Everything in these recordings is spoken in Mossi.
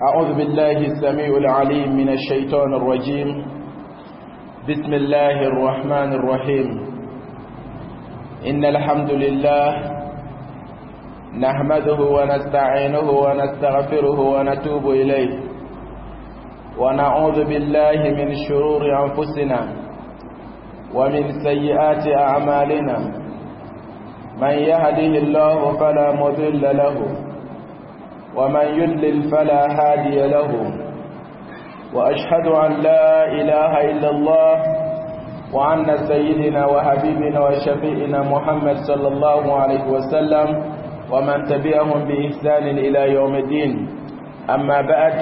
أعوذ بالله السميع العليم من الشيطان الرجيم. بسم الله الرحمن الرحيم. إن الحمد لله نحمده ونستعينه ونستغفره ونتوب إليه، ونعوذ بالله من شرور أنفسنا ومن سيئات أعمالنا. من يهده الله فلا مضل له، ومن يضلل فلا هادي له، وأشهد أن لا إله إلا الله وأن سيدنا وحبيبنا وشفيئنا محمد صلى الله عليه وسلم ومن تبعهم بإحسان إلى يوم الدين. أما بعد،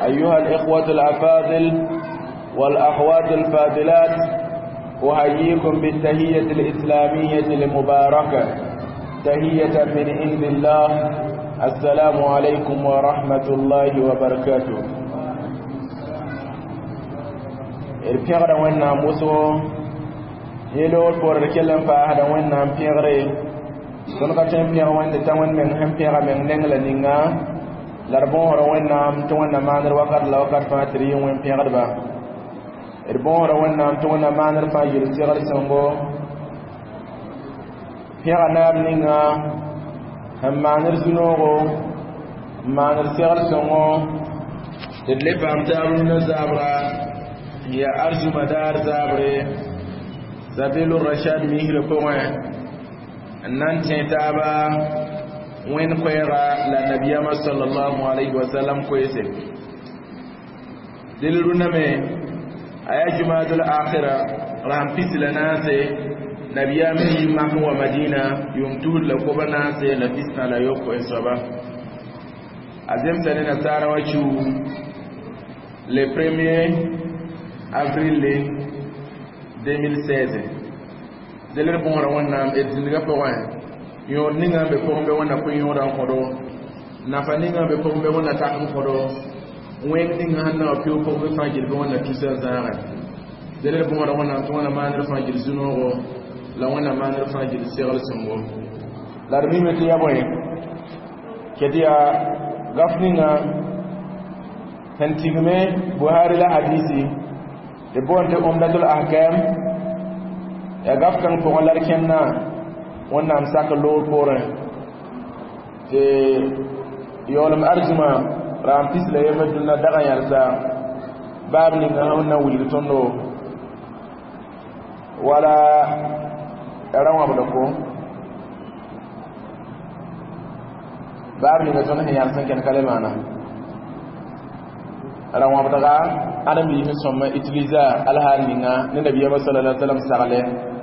أيها الإخوة الأفاضل والأخوات الفاضلات، أحييكم بالتهية الإسلامية المباركة، تهية من عند الله. السلام عليكم ورحمة الله وبركاته. D pẽgda Wẽnnaam wʋsgo yẽ loogr poor d kell n paasda Wẽnnaam pẽgre. Tõnd ka tõe n pẽg Wẽnde t'a Wẽnd meng sẽn pẽga meng neng la ninga la d bõosda Wẽnnaam tɩ Wẽnnaam maandr wakat la wakat fãa tɩ d yɩ wẽn pẽgdba. D bõosda Wẽnnaam tɩ Wẽnnaam maandr fãa yel segd sõngo. Pẽga naab ninga sẽn maandr zu-noogo n maandr segd sõngo tɩ d le paam taab rũndã zabra n yaa arzuma daar zabre sabilu rashad misrã pʋgẽ n na n tẽ taaba wẽnd koɛɛga la nabiyama sallallahu alayhi wa sallam koeese. Del rũndã me a yaa jumadul akhira rasem pis la naase nabiyaam sẽn yi mak n wa Madina yʋʋm 2041 soaba. A zemsa ne nasaara wã kiu le 1er avril 2016. Del d bõosda Wẽnnaam d zĩndgã pʋgẽ yõod ninga n be pʋgẽ bɩ Wẽnna pʋ-yõoda n kõdo, nafa ninga n be pʋgẽ bɩ Wẽnna tak n kõdo, wẽng ninga sẽn na wã pɩʋʋg pʋgẽ bɩ fãa gill bɩ Wẽnna tusa n zãage. Del d bõosda Wẽnnaam tɩ Wẽnna maandr fãa gill zu-noogo la Wẽnna maandr fãa gill segl sõngo. La d mime tɩ yaa bõe ket yaa gaf ninga sẽn tigme Buhari la hadisi tɩ boond tɩ Umdatul Ahkam yaa gaf kãng pʋgẽ la d kẽndã Wẽnnaam sak loog poorẽ tɩ yaoolem arzũma raam pis la yembr dũnna dag n yãlsa baab ninga sẽn na wilg tõndo wala ra wãbd ko baab ninga tõnd sẽn yãls n kẽnd ka le maana ra wãbdga ãdem-biis sẽn sõm utiliser alhaal ninga ne nabiyama sallallahu alaihi wasallam sagle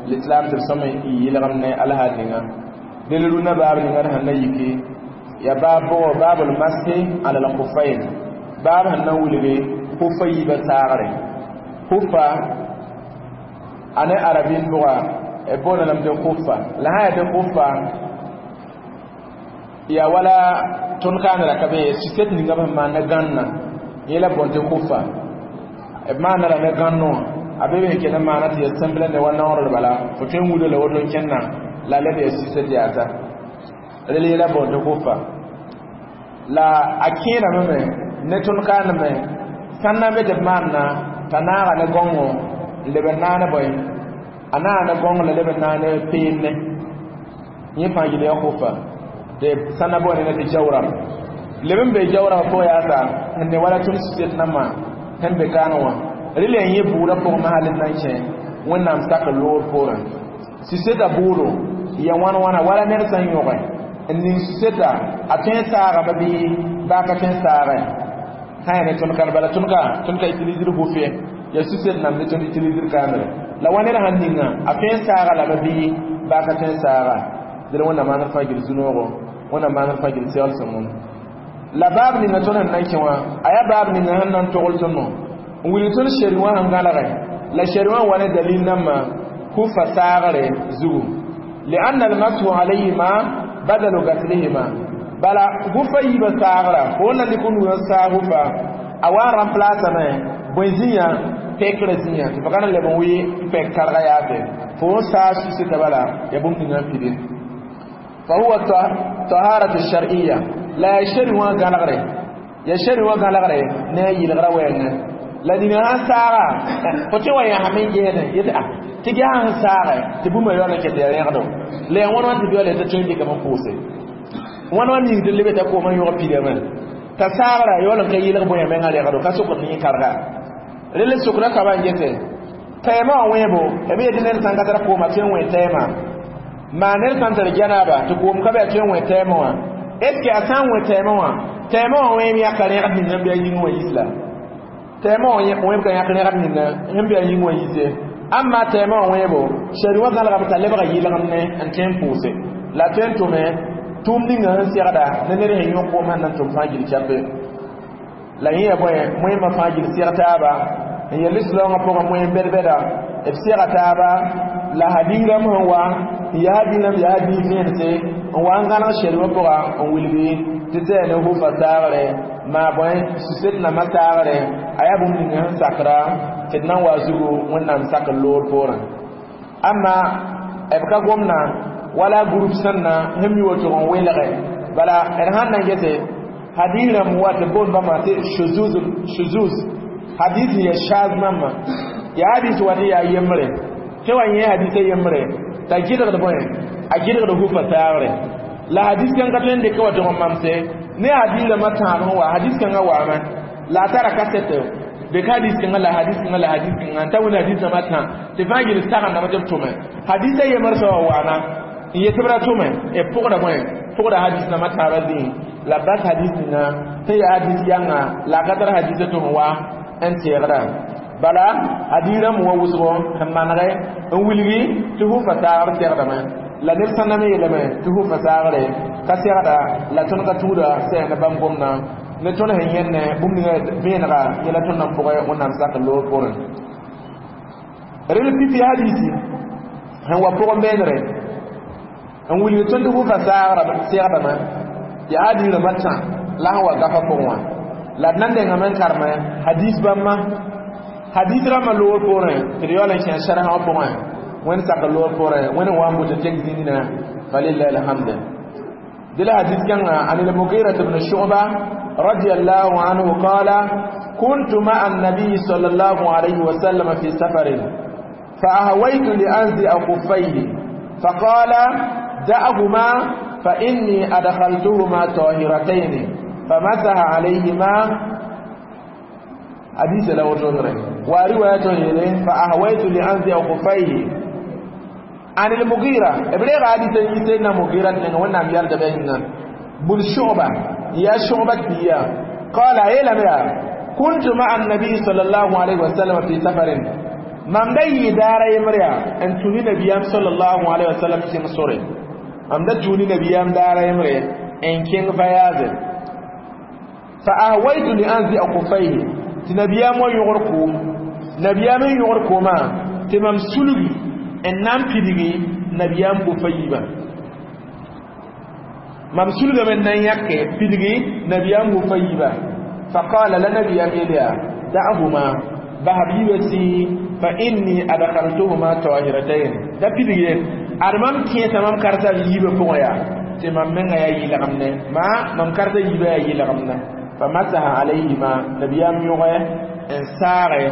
l'islam tɩ b sõm n yɩlgem ne alhaal ninga. Del rũndã baab ninga d sẽn na yiki ya baab bʋgo baabul mashi ala al-khuffayn, baab sẽn na wilge khufa yiibã saagre. Khufa a ne arabin bʋga b boonda lame tɩ khufa la sã yaa tɩ khufa yaa wala tõnd kaanra ka be suset ninga b sẽn maan ne gãnna yẽ la boond tɩ khufa b maanda la ne gãnno wã a be be kell n maana tɩ ya sẽmblẽ ne wa naoor bala fo tõe n wuda la woto n kẽnna la leb ya suset yaasa rel yẽla boond tɩ khufa la a kẽedame me ne tõnd kaaneme sãn na n be tɩ b maanna t'a naaga ne gõngo n leb n naane bõe a naaga ne gõng la leb n naane peenne yẽ fãa yel yaa khufa tɩ sãn na boone ne tɩ jawrab leb n be jawrab pʋgã yaasa sẽn ne wala tõnd suset nambã sẽn be kaang wã rel yaa yẽ bʋʋdã pʋgẽ masal d na n kẽ Wẽnnaam sak loor poorẽ suseta bʋʋdo ya wãn wãna wala ned sã n yõge n ning suseta a tõe n saagame bɩ baa ka tõe n saagẽ sã yaa ne tõnd kan bala tõnd ka utilisr hufe ya suset nam ne tõnd utilisr kaamre la wa ned sãn ninga a tõe n saaga lame bɩ baa ka tõe n saaga. Dẽl Wẽnnaam maandr fãa gil zu-noogo, Wẽnnaam maandr fãa gil segl sõngo. La baab ninga tõnd sẽn na n kẽ wã a yaa baab ninga sẽn na n togl tõndo n wilg tõnd sheri wã sẽn gãlgẽ la sheri wã wa ne dalil nambã kufa saagre zugu lianna almashu alayhima badalu gaslihima bala hufa yiibã saagra fo na dɩk nugã saag hufa a wa n remplace-ame bõe zĩyã pɛkrã zĩyã tɩ fa ka na leb n wɩ pɛk karga yaase fo n saag suseta bala ya bũmb ninga n pide fa huwa taharatu shar'iyya la ya sheri wã gãlgre Ya shari wa gãlgre ne a yɩlgrã wɛɛngẽ la nina sãn saaga fo tɩ wa yãsame n gesdẽ yetɩ a tɩ ges sẽn saage tɩ bũmba yaool n ket ya rẽgdo la yaa wãn wãn tɩ beoole t'a tõe n dɩkame n pʋʋse wãn wãn ning tɩ lebe t'a koomã yõg pidame t'a saagra yaool n ka yɩlg bõe menga rẽgdo ka sokd tɩ yẽ karga rel sokda soaba n gese tɛɛmã wã wẽebo b yetɩ ned sãn ka tar kooma tõe n wẽ tɛɛmã maa ned sãn tar janaba tɩ koom ka be a tõe n wẽ tɛɛmã wã est ce que a sã n wẽ tɛɛmã wã tɛɛmã wã wẽem yãka rẽgd ning sẽn be a yĩng wã yis la tɛɛmã wã wẽeb ka yãk rẽgd ninga sẽn be a yĩng wã yise amma tɛɛmã wã wẽebo shari wã gãlgame t'a lebga yɩlgemne n tõe n pʋʋse la tõe n tʋme tʋʋm ninga sẽn segda ne ned sẽn yõ koom sẽn na n tʋm fãa gil chape la yẽ ya bõe moẽmã fãa gil seg taaba n yel lislaoongã pʋgẽ moẽm bɛd-bɛda b sega taaba la hadis rãmb sẽn wa n yaa hadis rãmb yaa hadis vẽense n wa n gãneg shari wã pʋga n wilgi tɩ tɩ yaa ne hufa saagre maa bõe suset nambã saagre a yaa bũmb ninga sẽn sakra tɩ d nan wa zugu wẽnnaam sakr loor poorẽ amma b ka gomna wala group sẽnna sẽn mi woto n welge bala d sãn na n gese hadis rãmb wa tɩ boond bãmba tɩ shuzuz hadis ya shaz mãmba ya hadis wa tɩ yaa yembre tɩ wa yẽ hadisa yembre t'a gɩdgd bõe a gɩdgd hufa saagre la hadis kãngã tõe n dɩka wa tɩg n mamse ne hadis rãmbã tãab sẽn wa hadis kãngã waame la a tara kasɛtɩ dɩk hadis kãngã la hadis kãngã la hadis kãngã n ta wẽnd hadis rãmbã tã tɩ fãa gil sagendame tɩ b tʋme hadisa yembr soaba waana n yet tɩ b ra tʋme b pʋgda bõe pʋgda hadis rãmbã taabã zĩig la bas hadis ninga tɩ yaa hadis yãnga la a ka tar hadisa tɩ sẽn wa n teegda bala hadis rãmb wa wʋsgo sẽn manege n wilgi tɩ hufa saagr segdame la neb sã na me yeelame tɩ hufa saagre ka segda la tõnd ka tuuda sɛ ne bãmb gomdã ne tõnd sẽn yẽnne bũmb ninga vẽenega yẽla tõnd na n pʋgẽ wẽnnaam sak loor poorẽ rel pipi hadisi sẽn wa pʋgẽ beenre n wilgi tõnd tɩ hufa saagra segdame yaa hadis rãmbã tã la sẽn wa gafa pʋgẽ wã la d na n nengame n karme hadis bãmba hadis rãmbã loor poorẽ tɩ d yaool n kẽ sɛrsã wã pʋgẽ wẽnd sak loor poorẽ wẽnd n wa n bʋ tɩ tẽng zĩnina falillahi alhamd دل حديث كان عن المغيرة بن شعبة رضي الله عنه قال كنت مع النبي صلى الله عليه وسلم في سفر فأهويت لأنزع خفيه فقال دعهما فإني أدخلتهما طاهرتين فمسح عليهما حديث له تنره ورواية فأهويت لأنزع خفيه عن المغيرة ابلغ حديث سيدنا مغيرة وانا يرد بيننا بن شعبة يا شعبة بيا قال ايه كنت مع النبي صلى الله عليه وسلم في سفر mam da yɩ daara yembr yaa n tũ ne nabiyaam sallallahu alaihi wasallam kẽng sore mam da tũ ne nabiyaam daara yembre n kẽng voyage fa ahwaytu li anzi'a khufayhi tɩ nabiyaam wa yõgr koom nabiyaam n yõgr koomã tɩ mam sulgi n na n pidgi nabiyaam gofa yiibã mam sulgame n na n yãke pidgi nabiyaam gofa yiibã faqala la nabiyaam yeel yaa da'huma basb yiibã sɩ fa inni adkhaltuhuma tahiratayn da pidgi ad mam kẽesa mam karsa yiibã pʋgẽ yaa tɩ mam menga yaa yɩlgemne ma mam karsa yiibã yaa yɩlgemne fa masaha alayhima nabiyaam yõge n saage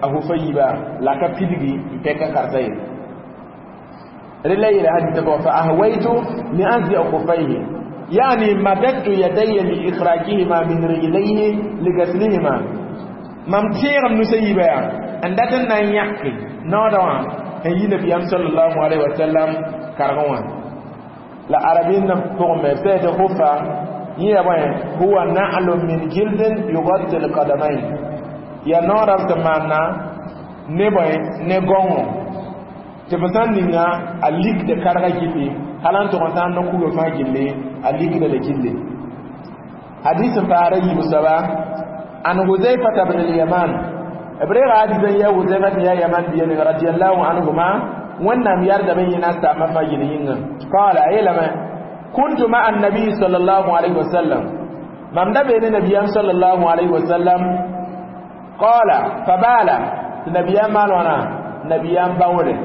a hufa yiibã la ka pidgi n pɛka karsa ye rela yeela hadisa pʋgã fa ahwaytu li anzia khufayhi يعني مددت يدي لإخراجهما من رجليه لغسلهما mam tẽegem nusa yiibã yaa n dat n na n yãke naoodã wã n yi nabiyam sallallahu alaihi wasallam kargẽ wã la arabin pʋgẽ me sã tɩ hufa yẽ ya bõe huwa na'lun min jildin yugatti alqadamain ya naoodã b tɩ maanna ne bõe ne gõngo tɩ f sã n ninga a likda karga gilli hal n tʋg n sã n no kuga fãa gilli a likda la gilli hadis n paara yiib soaba عن حذيفة بن اليمان إبريغ حديثا يا حذيفة يا يمان بن رضي الله عنهما ونم يرد بينا سامة فجلين قال أيلما كنت مع النبي صلى الله عليه وسلم من دبين النبي صلى الله عليه وسلم قال فبال النبي مالونا نبي باوري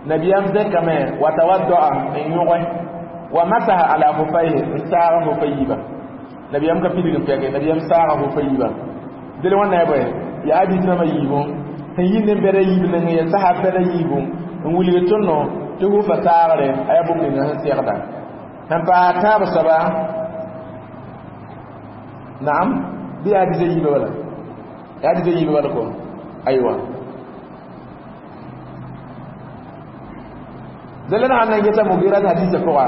نبي زكمه وتودع ان يغه ومسح على خفيه ساره خفيه Nabiyam ka pidig n pɛke nabiyam saaga hufa yiibã dẽl wãnna ya bõe yaa hadis rãmbã yiibu sẽn yi nen-bɛda yiib nengẽ ya sahab bɛda yiibu n wilg tõndo tɩ hufa saagre a yaa bũmb ninga sẽn segda sẽn paas tãab soaba naam bɩ yaa hadisa yiibã bala yaa hadisa yiibã bala ko aywa dẽla sãn na n geta Mugira hadisa pʋga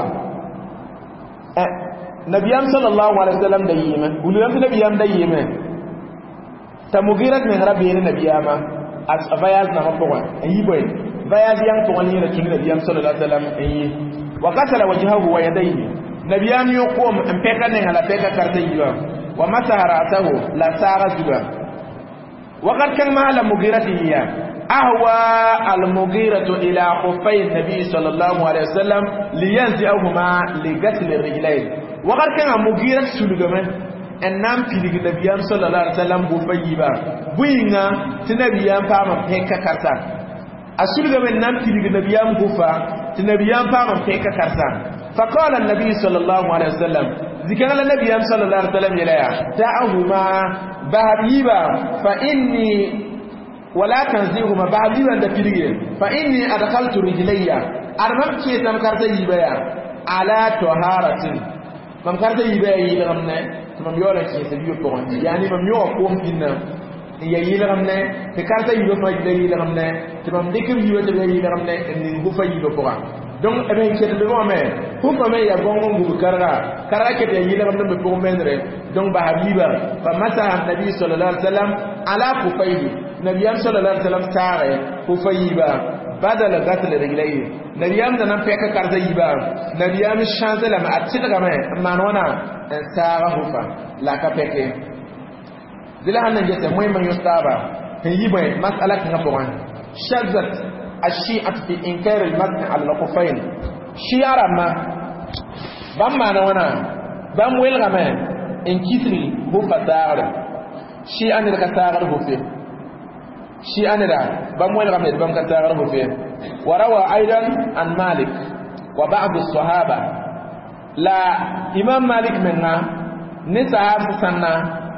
nabiyam sallallahu alaihi wasallam da yime wulgam tɩ nabiyam da yime t'a Mugira meng ra beene nabiyama a voyage nambã pʋgẽ n yi bõe voyage yãng pʋgẽ yẽla tũ ne nabiyam sallallahu alaihi wasallam n yi wa gasala wajhahu wa yadayhi nabiyam yõ koom n pɛka nenga la pɛka karta yiibã wa masaha ra'sahu la saaga zuga wakat kãng maa la Mugira tɩ yɩ أهوى المغيرة إلى خفي النبي صلى الله عليه وسلم لينزعهما لغسل الرجلين وقد كان المغيرة سلغمه n na n pilg nabiyam sallallahu alaihi wasallam hufa yiibã bʋ-yĩnga tɩ nabiyam paam n pẽka karsa a sulgame n na n pilg nabiyam hufa tɩ nabiyam paam n pẽka karsa فقال النبي صلى الله عليه وسلم ذكر النبي صلى الله عليه وسلم يلا دعهما بهبيبا فإني ولا تنزيهما بهبيبا دفلغ فإني أدخلت رجلي أرمم كيتم كارتا يبا على طهارة mam karta yiibã yaa yɩlgem ne tɩ mam yaoola kẽesa biibã pʋgẽ yaani mam yõga koom pĩnnã n ya yɩlgem ne tɩ karta yiibã fãa yila yɩlgem ne tɩ mam dɩk b yiibã tɩ b ya yɩlgem ne n ning hufa yiibã pʋga donc b sẽn ket b wã me hufa me yaa gõng n gub karga karga ket ya yɩlgem ne b pʋgẽ mendre donc basb yiibã fa masaha nabi sallallahu alaihi wasallam ala kufayhi nabiyam sallallahu alaihi wasallam saage hufa yiibã badala gasl rijlayhi nabiyam da nan pɛka karta yiibã nabiyam changé lame a tɩlgame n maan wãna n saaga hufa la ka pɛke dɩla sãn na n gesa moẽmã yõs taaba sẽn yi bõe masala kãngã pʋgẽ shazat الشيعة في إنكار المسح على الخفين شيعة رما بام مانا وانا بام ويلغما إن كسري هو فتاغر شيعة نرى كتاغر هو فيه شيعة نرى بام ويلغما بام كتاغر هو فيه وروى أيضا عن مالك وبعض الصحابة لا إمام مالك منا نسحاب سنة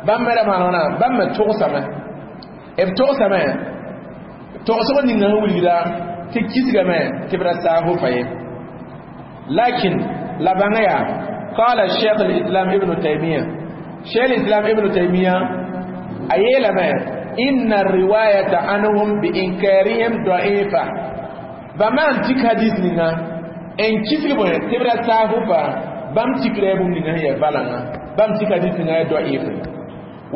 بام مرى مانا وانا بام تغسما eb togsame togsg ninga sẽn wilgda tɩ kisgame tɩ b ra saag hufa ye lakin la bãnga yaa qala cheikh الإسلام ابن تيمية شيخ الإسلام ابن تيمية أيلما إن الرواية عنهم بإنكارهم ضعيفة بما تك حديث نينا إن كسر بون تبرا ساهوفا بام تكره بون نينا هي بالنا بام تك حديث نينا ضعيف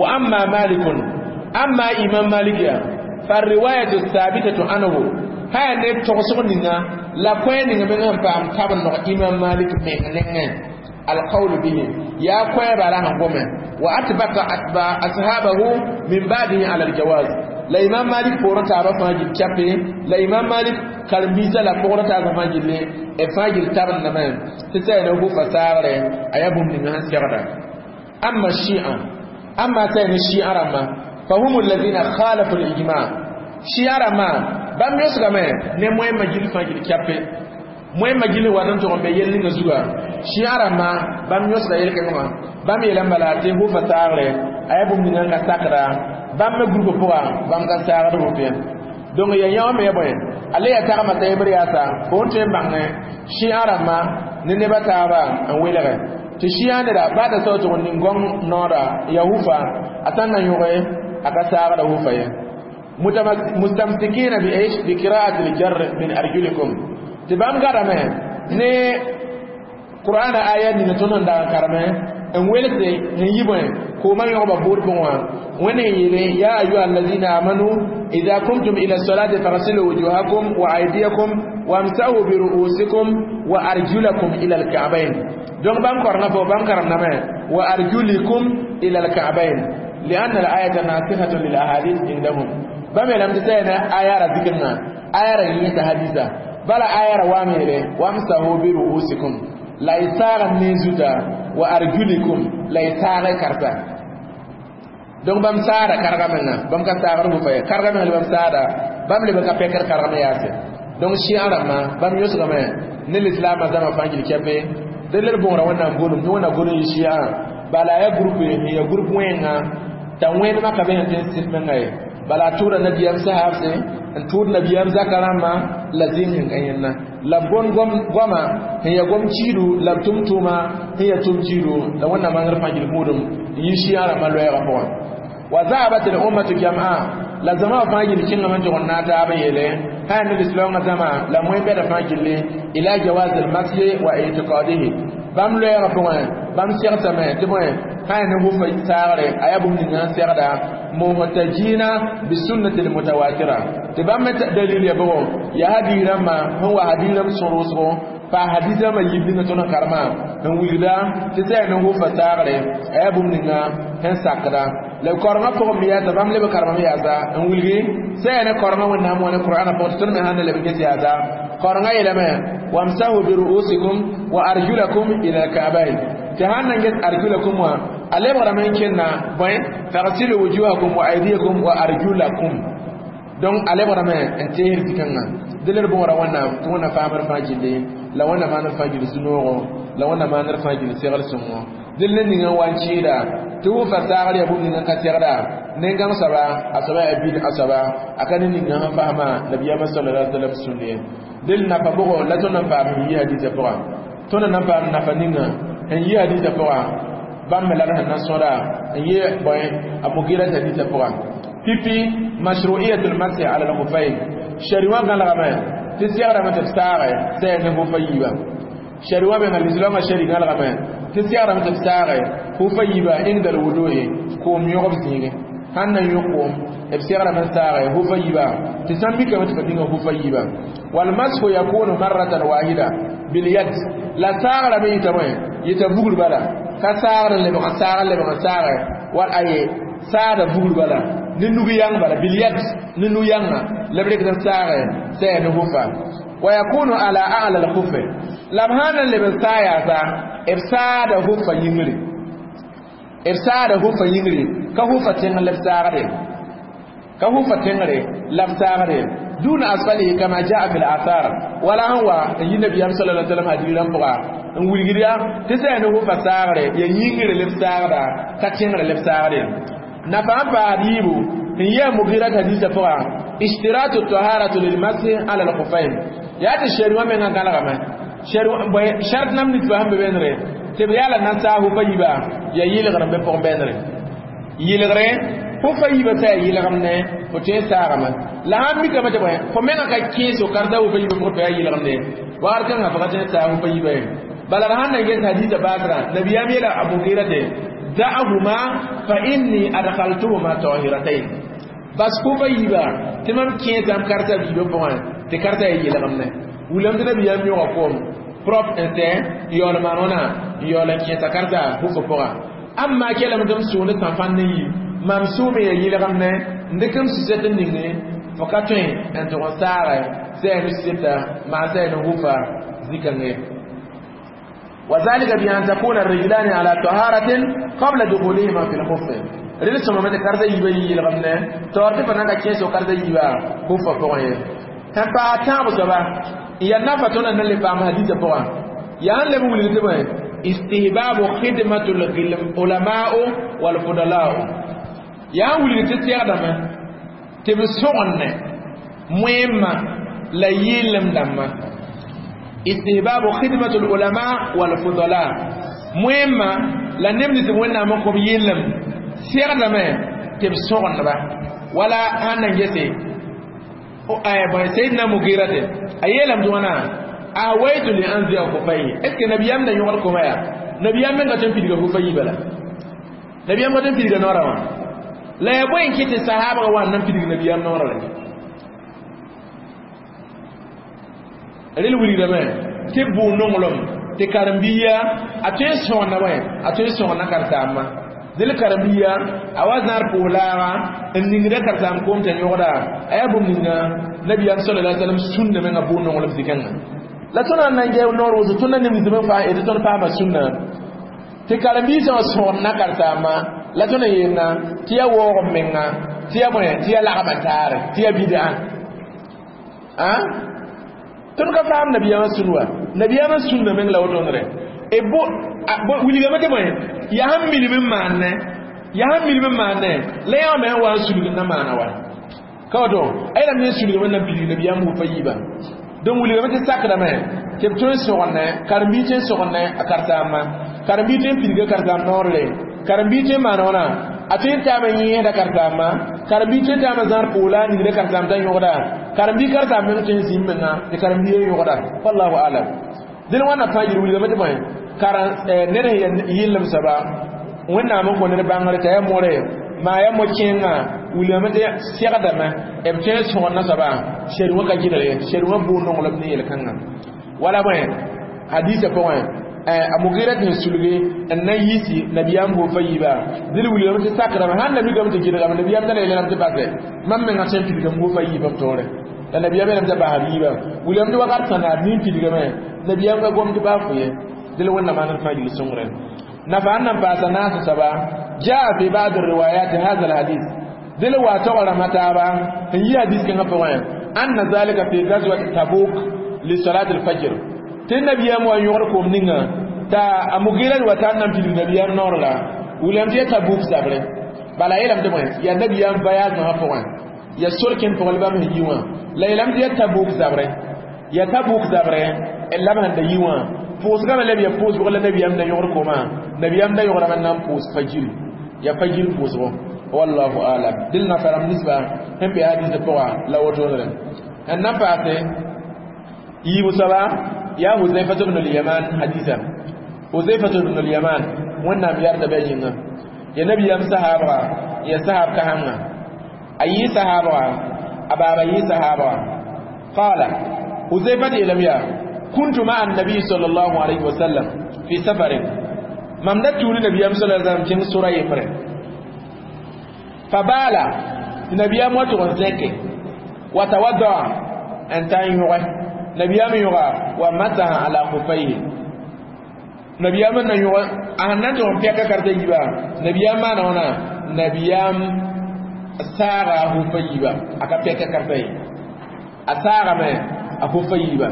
وأما مالك أما إمام مالك فالرواية الثابتة عنه هاي نيب تغسق نينا لا كوين نينا من فام تابن إمام مالك من القول به يا كوين بالا غومه واتبع اتباع اصحابه من بعده على الجواز لا امام مالك بورا تابا فاجل كابي لا امام مالك كرمبيسا لا بورا تابا فاجل e fajil taban na men tsa ne hu fasare ayabum ni han sirada amma shi'a amma sai ni shi'a rama fahum alladhina khalafu al-ijma' shi'a rama bam yosuga me ne moy majil fajil kape moy majil wadan to be yelli nga zuga shi'a rama bam yosuga yel ke ngoma bam yelam bala te hu fasare ayabum ni nga sakra bam me groupe poa bam ka sagra do fe donc ya yaw me boy ale ya tagama ta ibri asa ko te bangne shi'a rama ne ne bata ba an welere ti shi'a ne da ba da sautu ni ngong nora ya hufa atanna yuge aka sagra hufa ye mustamsikina bi ايش بقراءه الجر من ارجلكم تبام garame ne qur'ana ayat ni tonon da karame en welse en yiboy ko man yoba bor bon wene yele ya ayyuha allazina amanu idza kumtum ila salati faghsilu wujuhakum wa aydiyakum wamsahu bi ru'usikum wa arjulakum ila al-ka'bayn donc bam korna fo bam karam na me wa arjulikum ila al-ka'bayn لأن الآية ناسخة للأحاديث عندهم بام لم تسينا آية ذكرنا آية يتا حديثا بلا آية واميره وامسحوا برؤوسكم لا يساغ نيزوتا وأرجلكم لا يساغ كرتا donc bam saada karga menga bam ka saagr fu faye karga menga bam saada bam le ka pekar karga me yaase donc shi arama bam yosga me ne l'islam zama fangil kepe deler bon ra wannan golum ni wannan golum shi a Bala ya groupe ya groupe wẽnga t'a wẽnemã ka be sẽn tõe n sɩd menga ye. Bala a tʋʋda nabiyam sahabse n tʋʋd nabiyam zaka rãmbã la zĩig sẽn ka yẽnna la b gom goama sẽn ya gom kiidu la b tʋm tʋʋma sẽn ya tʋm kiidu la wẽnnaam mangr fãa gil buudem n yi shia rãmbã loɛɛgã pʋgã. Wa zahabat al ummatu jam'a la zama fãa gil kẽngame n tʋg n naag taab n yeele sã ne lislaoongã zãma la moẽ bɛda fãa gilli ila jawaz al mashe wa i'tiqadihi bãmb loɛɛgã pʋgẽ bãmb segsame tɩ bõe sã ne hufa saagre a yaa bũmb ninga n segda muhtajina bisunnati almutawatira tɩ bãmb me dalil ya bʋgo yaa hadiis rãmbã sẽn wa hadiis rãmb sõr wʋsgo pa hadis rãmbã yib ninga tõnd n karema n wilgda tɩ sã ne hufa saagre a yaa bũmb ninga sẽn sakda la korengã pʋgẽ me yaasa bãmb leb karemame yaasa n wilgi sã yaa ne korengã wẽnnaam wã ne qur'ana pʋgẽ tɩ tõnd me sãn na leb n ges yaasa korengã yeelame wamsahu biru'usikum wa arjulakum ila alka'bayn tɩ sãn na n ges arjulakum wã a lebgrame n kẽnna bõe fagsilu wujuhakum wa aydiyakum wa arjulakum. Donc a lebgrame n teesd zĩ-kãngã dẽ la d bõora wẽnnaam tɩ wẽnnaam faamd fãa gilli la wẽnnaam maanr fãa gil sũ-noogo la wẽnnaam maanr fãa gil segl sõngo dẽl ne ninga n wa n kɩɩda tɩ wʋfa saagr yaa bũmb ninga n ka segda nen-gãng soaba a soaba yaa bid a soaba a ka ne ninga sẽn fasma nabiyaamã sallallahu alaihi wasallam sũnd ye. Dẽl nafa bʋgo la tõnd na n paam sẽn yi hadiisã pʋga tõnd na n paam nafa ninga sẽn yi hadiisã pʋga bãmb me la d sẽn na n sõda n yɩ bõe a Mugira hadiisã pʋga pipi mashru'iyatul masih ala al-khuffayn shari wã gãlgame tɩ segrame tɩ b saage sã yaa ne hufa yiiba shari wã menga lislaamã shari gãlgame tɩ segrame tɩ b saage hufa yiiba inda al-wudu'i koom yõgb zĩige sãn na n yõ koom b segrame n saage hufa yiiba tɩ sãn mikame tɩ fa dĩnga hufa yiiba wal mashu yakunu marratan wahida bil yad la saagrame yɩta bõe yɩta vugr bala ka saagr n lebg n saag n lebg n saage wal aye saada vugr bala ne nug yang bala bil yad ne nu yãnga la b rɩkd n saage sã yaa ne hufa wa yakunu ala a'la al khuf la b sãn na n leb n saa yaasa b saada hufa yĩngri b saada hufa yĩngri ka hufa tẽng la b saagde ka hufa tẽngre la b saagde duna asfalihi kama jaa fi al-athar wala han wa yi nabiyam sallallahu alaihi wasallam hadiran pʋga n wilgd ya tɩ sã yaa ne hufa saagre ya yĩngre la b saagda ka tẽngre la b saagde nafa n paas yiibu n yɩ a Mugirat hadiisã pʋga ishtiratu taharatu lilmasih ala alkhufayn yaa tɩ shari wã mengã gãlgame shart nam nit sẽn be bẽndre tɩ b yaa la na n saag hufa yiiba yaa yɩlgr n be pʋgẽ bẽndre yɩlgre hufa yiiba sã yaa yɩlgemne fo tõe n saagame la sãn mikame tɩ bõe fo menga ka kẽes fo karta hufa yiiba pʋgẽ tɩ yaa yɩlgemde wakat kãngã fo ka tõe n saag hufa yiiba ye bala d sãn na n ges hadiisã baasrã nabiyaam yeela a Mugira tɩ da'ahuma fa inni adkhaltuhuma tahiratayn bas hufa yiiba tɩ mam kẽesame karta biibã pʋgẽ tɩ karta yaa yɩlgemne wilame tɩ nabiyaam yõga koom propre n sɛ n yaool maan wãna n yaool n kẽesa karta hufa pʋga amma kelame tɩ m sʋʋnd sãn-fãnd n yi mam sʋʋme ya yɩlgemne n dɩk m sɩsɛt n ninge fo ka tõe n tʋg n saage sã yaa ne sɩsɛta maa sã yaa ne hufa zĩ-kãngã. وذلك بأن تكون الرجلان على طهارة قبل دخولهما في الخف rel sõmame tɩ karta yiibã yi yɩlgemne taoor tɩ fa na n ka kẽes karta yiibã hufa pʋgẽ ye sẽn paas tãab soaba n yaa nafa tõnd na le paam hadiisã pʋgã yaa n leb n wilg tɩ bõe istihbabu khidmatu ulama'u wal fudala'u yaa n wilg tɩ segdame tɩ b sõgenne moẽmã la yɩɩlem dãmbã istihbabu khidmatu ulama wal fudala moẽmã la neb nins wẽnnaam n kõb yɩɩlem segdame tɩ b sõgendba wala sãn na n gese sayidna Mugira tɩ a yeelame tɩ wãna awaitu li anzi'a khufayhi est ce que nabiyam da yõgd koma yaa nabiyam menga tõe n pidga hufa yiiba la nabiyam ka tõe n pidga noorã wã la yaa bõe n kɩ tɩ sahaabga wa n na n pidg nabiyam noorã la rel wilgdame tɩ b bʋ nonglem tɩ karen-biiya a tõe n sõgna bõe a tõe n sõgna karsaambã dẽl karen-biiya a wa zãad pʋʋs-laaga n ningda karsaam koom t'a yõgda a yaa bũmb ninga nabiyam sallallahu alaihi wasallam sũnda menga bʋ nonglem zĩ-kãngã la tõnd na n gɛ noor wʋsg tõnd na neb nins me fãa tɩ tõnd paama sũnna tɩ karen-biisã wã sõgd karsaambã la tõnd n yeelna tɩ yaa waoog m menga tɩ yaa bõe tɩ yaa lagma taare tɩ yaa bid'a tõnd ka faam nabiyaamã sũn wa nabiyaamã sũnda meng la wotõndre E bo wilgame tɩ bõe yaa sẽn milm n maanne yaa sẽn milm n maanne la yã me n wa n sulg n na maana wa ka woto a yeelame n sulgame n na n pidig nabiyaam hufa yiibã donc wilgame tɩ sakdame tɩ b tõe n sõgendẽ karen-biig tõe n sõgendẽ a karen-saambã karen-biig tõe n pidga karen-saamb noorle karen-biig tõe n maan wãna a tõe n taame yẽesda karen-saambã karen-biig tõe n taame zãad poola a ningda karen-saamb t'a yõgda karen-biig karen-saamb meng tõe n zĩm menga tɩ karen-biigã yõgda wallahu alam dẽn wãnna fãa yel wilgame tɩ bõe karen ned sẽn yɩllem soaba wẽnnaam n kõ ned bãngre t'a yaa more maa yaa mo-kẽengã wilgame tɩ segdame b tõe n sõgendã soaba sɛd wã ka gɩlg ye sɛd wã bʋʋ nonglem ne yel-kãngã wala bõe hadisa pʋgẽ a Mugira tɩ sulgi n na yiisi nabiyaam hufa yiiba dẽd wilgame tɩ sakdame sãn na mikame tɩ gɩlgame nabiyaam da la yeelame tɩ basɛ mam menga sẽn pidgame hufa yiibã b toore la nabiyaam yeelame t'a basb yiibã wilgame tɩ wakat sãna b nin pidgame nabiyaam ka gom tɩ baa fo ye dẽl wẽnnaam maan d fãa gil sõngre nafa n nan paasa naas soaba jaa fi ba'd riwayat hadha alhadith dẽl wa tog rãmba taaba n yi hadis kãngã pʋgẽ anna zalika fi gazwat tabuk li salat alfajr tɩ nabiyaam wa yõgd koom ninga t'a a Mugira wa tar nan pidig nabiyaam noor la wilgame tɩ ya Tabuk zabre bala yeelame tɩ bõe yaa nabiyaam voyage wã pʋgẽ ya sor kẽnd pʋgẽ la bãmb sẽn yi wã la yeelame tɩ ya Tabuk zabre ya Tabuk zabre la b sẽn da yi wã pʋʋsgame la b ya pʋʋsg la nabiyaam da yõgd koomã nabiyaam da yõgdame n na n pʋʋs fajiri ya fajiri pʋʋsgo wallahu alam dɩl nafa rãmb ninsba sẽn be hadisã pʋga la wotodre n na n paase yiibu soaba yaa Huzaifa ibn al-Yaman hadisa Huzaifa ibn al-Yaman wẽnnaam yarda bɩ a yĩnga ya nabiyaam sahaabga ya sahaab kasãnga a yɩ sahaabga a baaba yɩ sahaabga qaala Huzaifa yeelame yaa kuntu ma'a annabi sallallahu alayhi wa sallam fi safarin mam da tuuni nabiyam sallallahu alayhi wa sallam kẽng sora yembre fa baala tɩ nabiyam wa tʋg n zẽke wa tawaddaa n ta n yõge nabiyam yõga wa masaha ala khufayhi nabiyam n na yõge a sẽn na n tʋg n pɛka karta yiiba nabiyam maana wãna nabiyam saaga a hufa yiiba a ka pɛka karta ye a saagame a hufa yiiba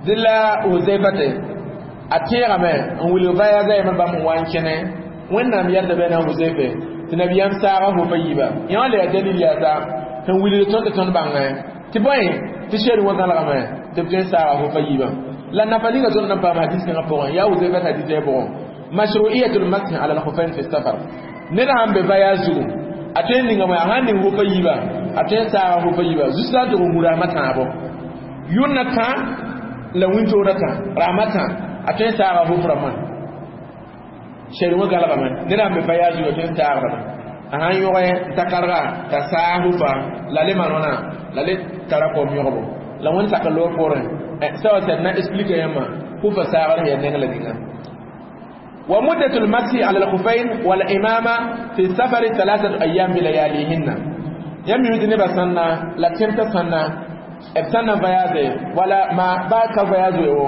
dẽ la Huzaifate a tẽegame n wilg voyage a yembr bãmb n wa n kẽne wẽnnaam yɛrda bɩ na Huzaife tɩ nabiyaam saaga hufa yiiba yã wã la yaa dalil yaasa sẽn wilg tõnd tɩ tõnd bãngẽ tɩ bõe tɩ sɛd wã gãlgame tɩ b tõe n saaga hufa yiibã la nafa ninga tõnd nan paam hadis kãngã pʋgẽ yaa Huzaifa hadis ya pʋgẽ mashru'iyatul masih ala al-khuffayn fi safar ned sãn be voyage zugu a tõe n ninga bõe a sãn ning hufa yiiba a tõe n saaga hufa yiiba zusa n tʋg n hu rasmã tãabo yʋnna tã la wĩntoorã tã rasmã tã a tõe n saaga huf rãmbã sɛd wã galgame ned sãn be voyage zugu a tõe n saagdame a sãn yõge n ta karga t'a saag hufa la le maan wãna la le tara kom yõgbo la wẽnd sak loor poorẽ sa wa sɛd na explique yãmbã hufa saagr sẽn yaa neng la ninga wa muddatul masi ala al-khuffayn wal imama fi safari thalathatu ayyam bi layalihinna yãmb mi tɩ nebã sãnna la tẽmtã sãnna b sãn na voyage wala ma ba ka voyage wo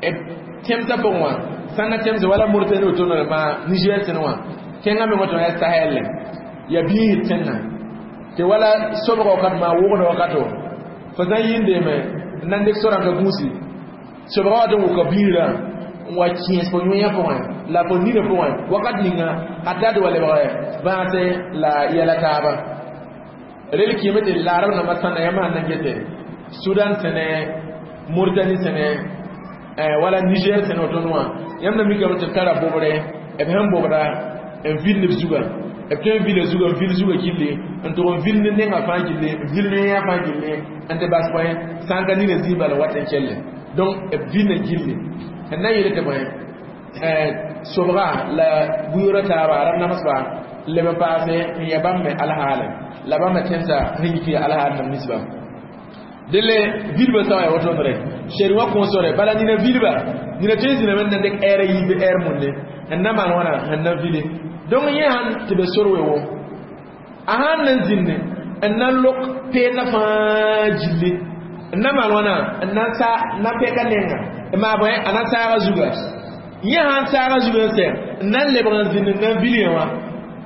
b tẽmsã pʋgẽ wã sãn na tẽmsã wala Mauritanie woto ma Niger sẽn wã tẽngã me woto yaa Sahel ya biisd tẽngã tɩ wala sobga wakat maa wʋgda wakato fo sã n yĩndeeme n na n dɩk sorãnga gũusi sobga wat n wʋka biirã n wa kẽes fo yõyã pʋgẽ la fo ninã pʋgẽ wakat ninga hatta tɩ wa lebg bãase la yɛla taaba rel kɩɩme tɩ laarb nambã sãnda yãmb sãn na n gete Sudan sẽne Mauritanie sẽne wala Niger sẽne woto wã yãmb na mikame tɩ b tara bobre b sẽn bobda n vil neb zuga b tõe n vila zuga n vil zuga gilli n tʋg n vil ne nengã fãa gilli n vil ne yã fãa gilli n tɩ bas bõe sã n ka nina zĩig bala wat n kelle donc b vilna gilli n na n yeel tɩ bõe sobga la buyoorã taaba rãmb namsba leb n paase n ya bãmb me alhaale la bãmb me tẽmsa sẽn yik ya alhaal nam nisba dẽle vidbã sã n yaa wotondre sɛd wã kõosore bala nina vidba nina tõe n zĩname n na n dɩk ɛɛra yiib ɛɛr munde n na maan wãna sẽn na vile donc yẽ sãn tɩ be sor we wo a sãn na n zĩnde n na n lok peendã fãa gilli n na maan wãna n na sa na pɛka nenga n maa bõe a na saaga zuga yẽ sãn saaga zuga n sɛ n na n lebg n zĩnd n na n vil yẽ wã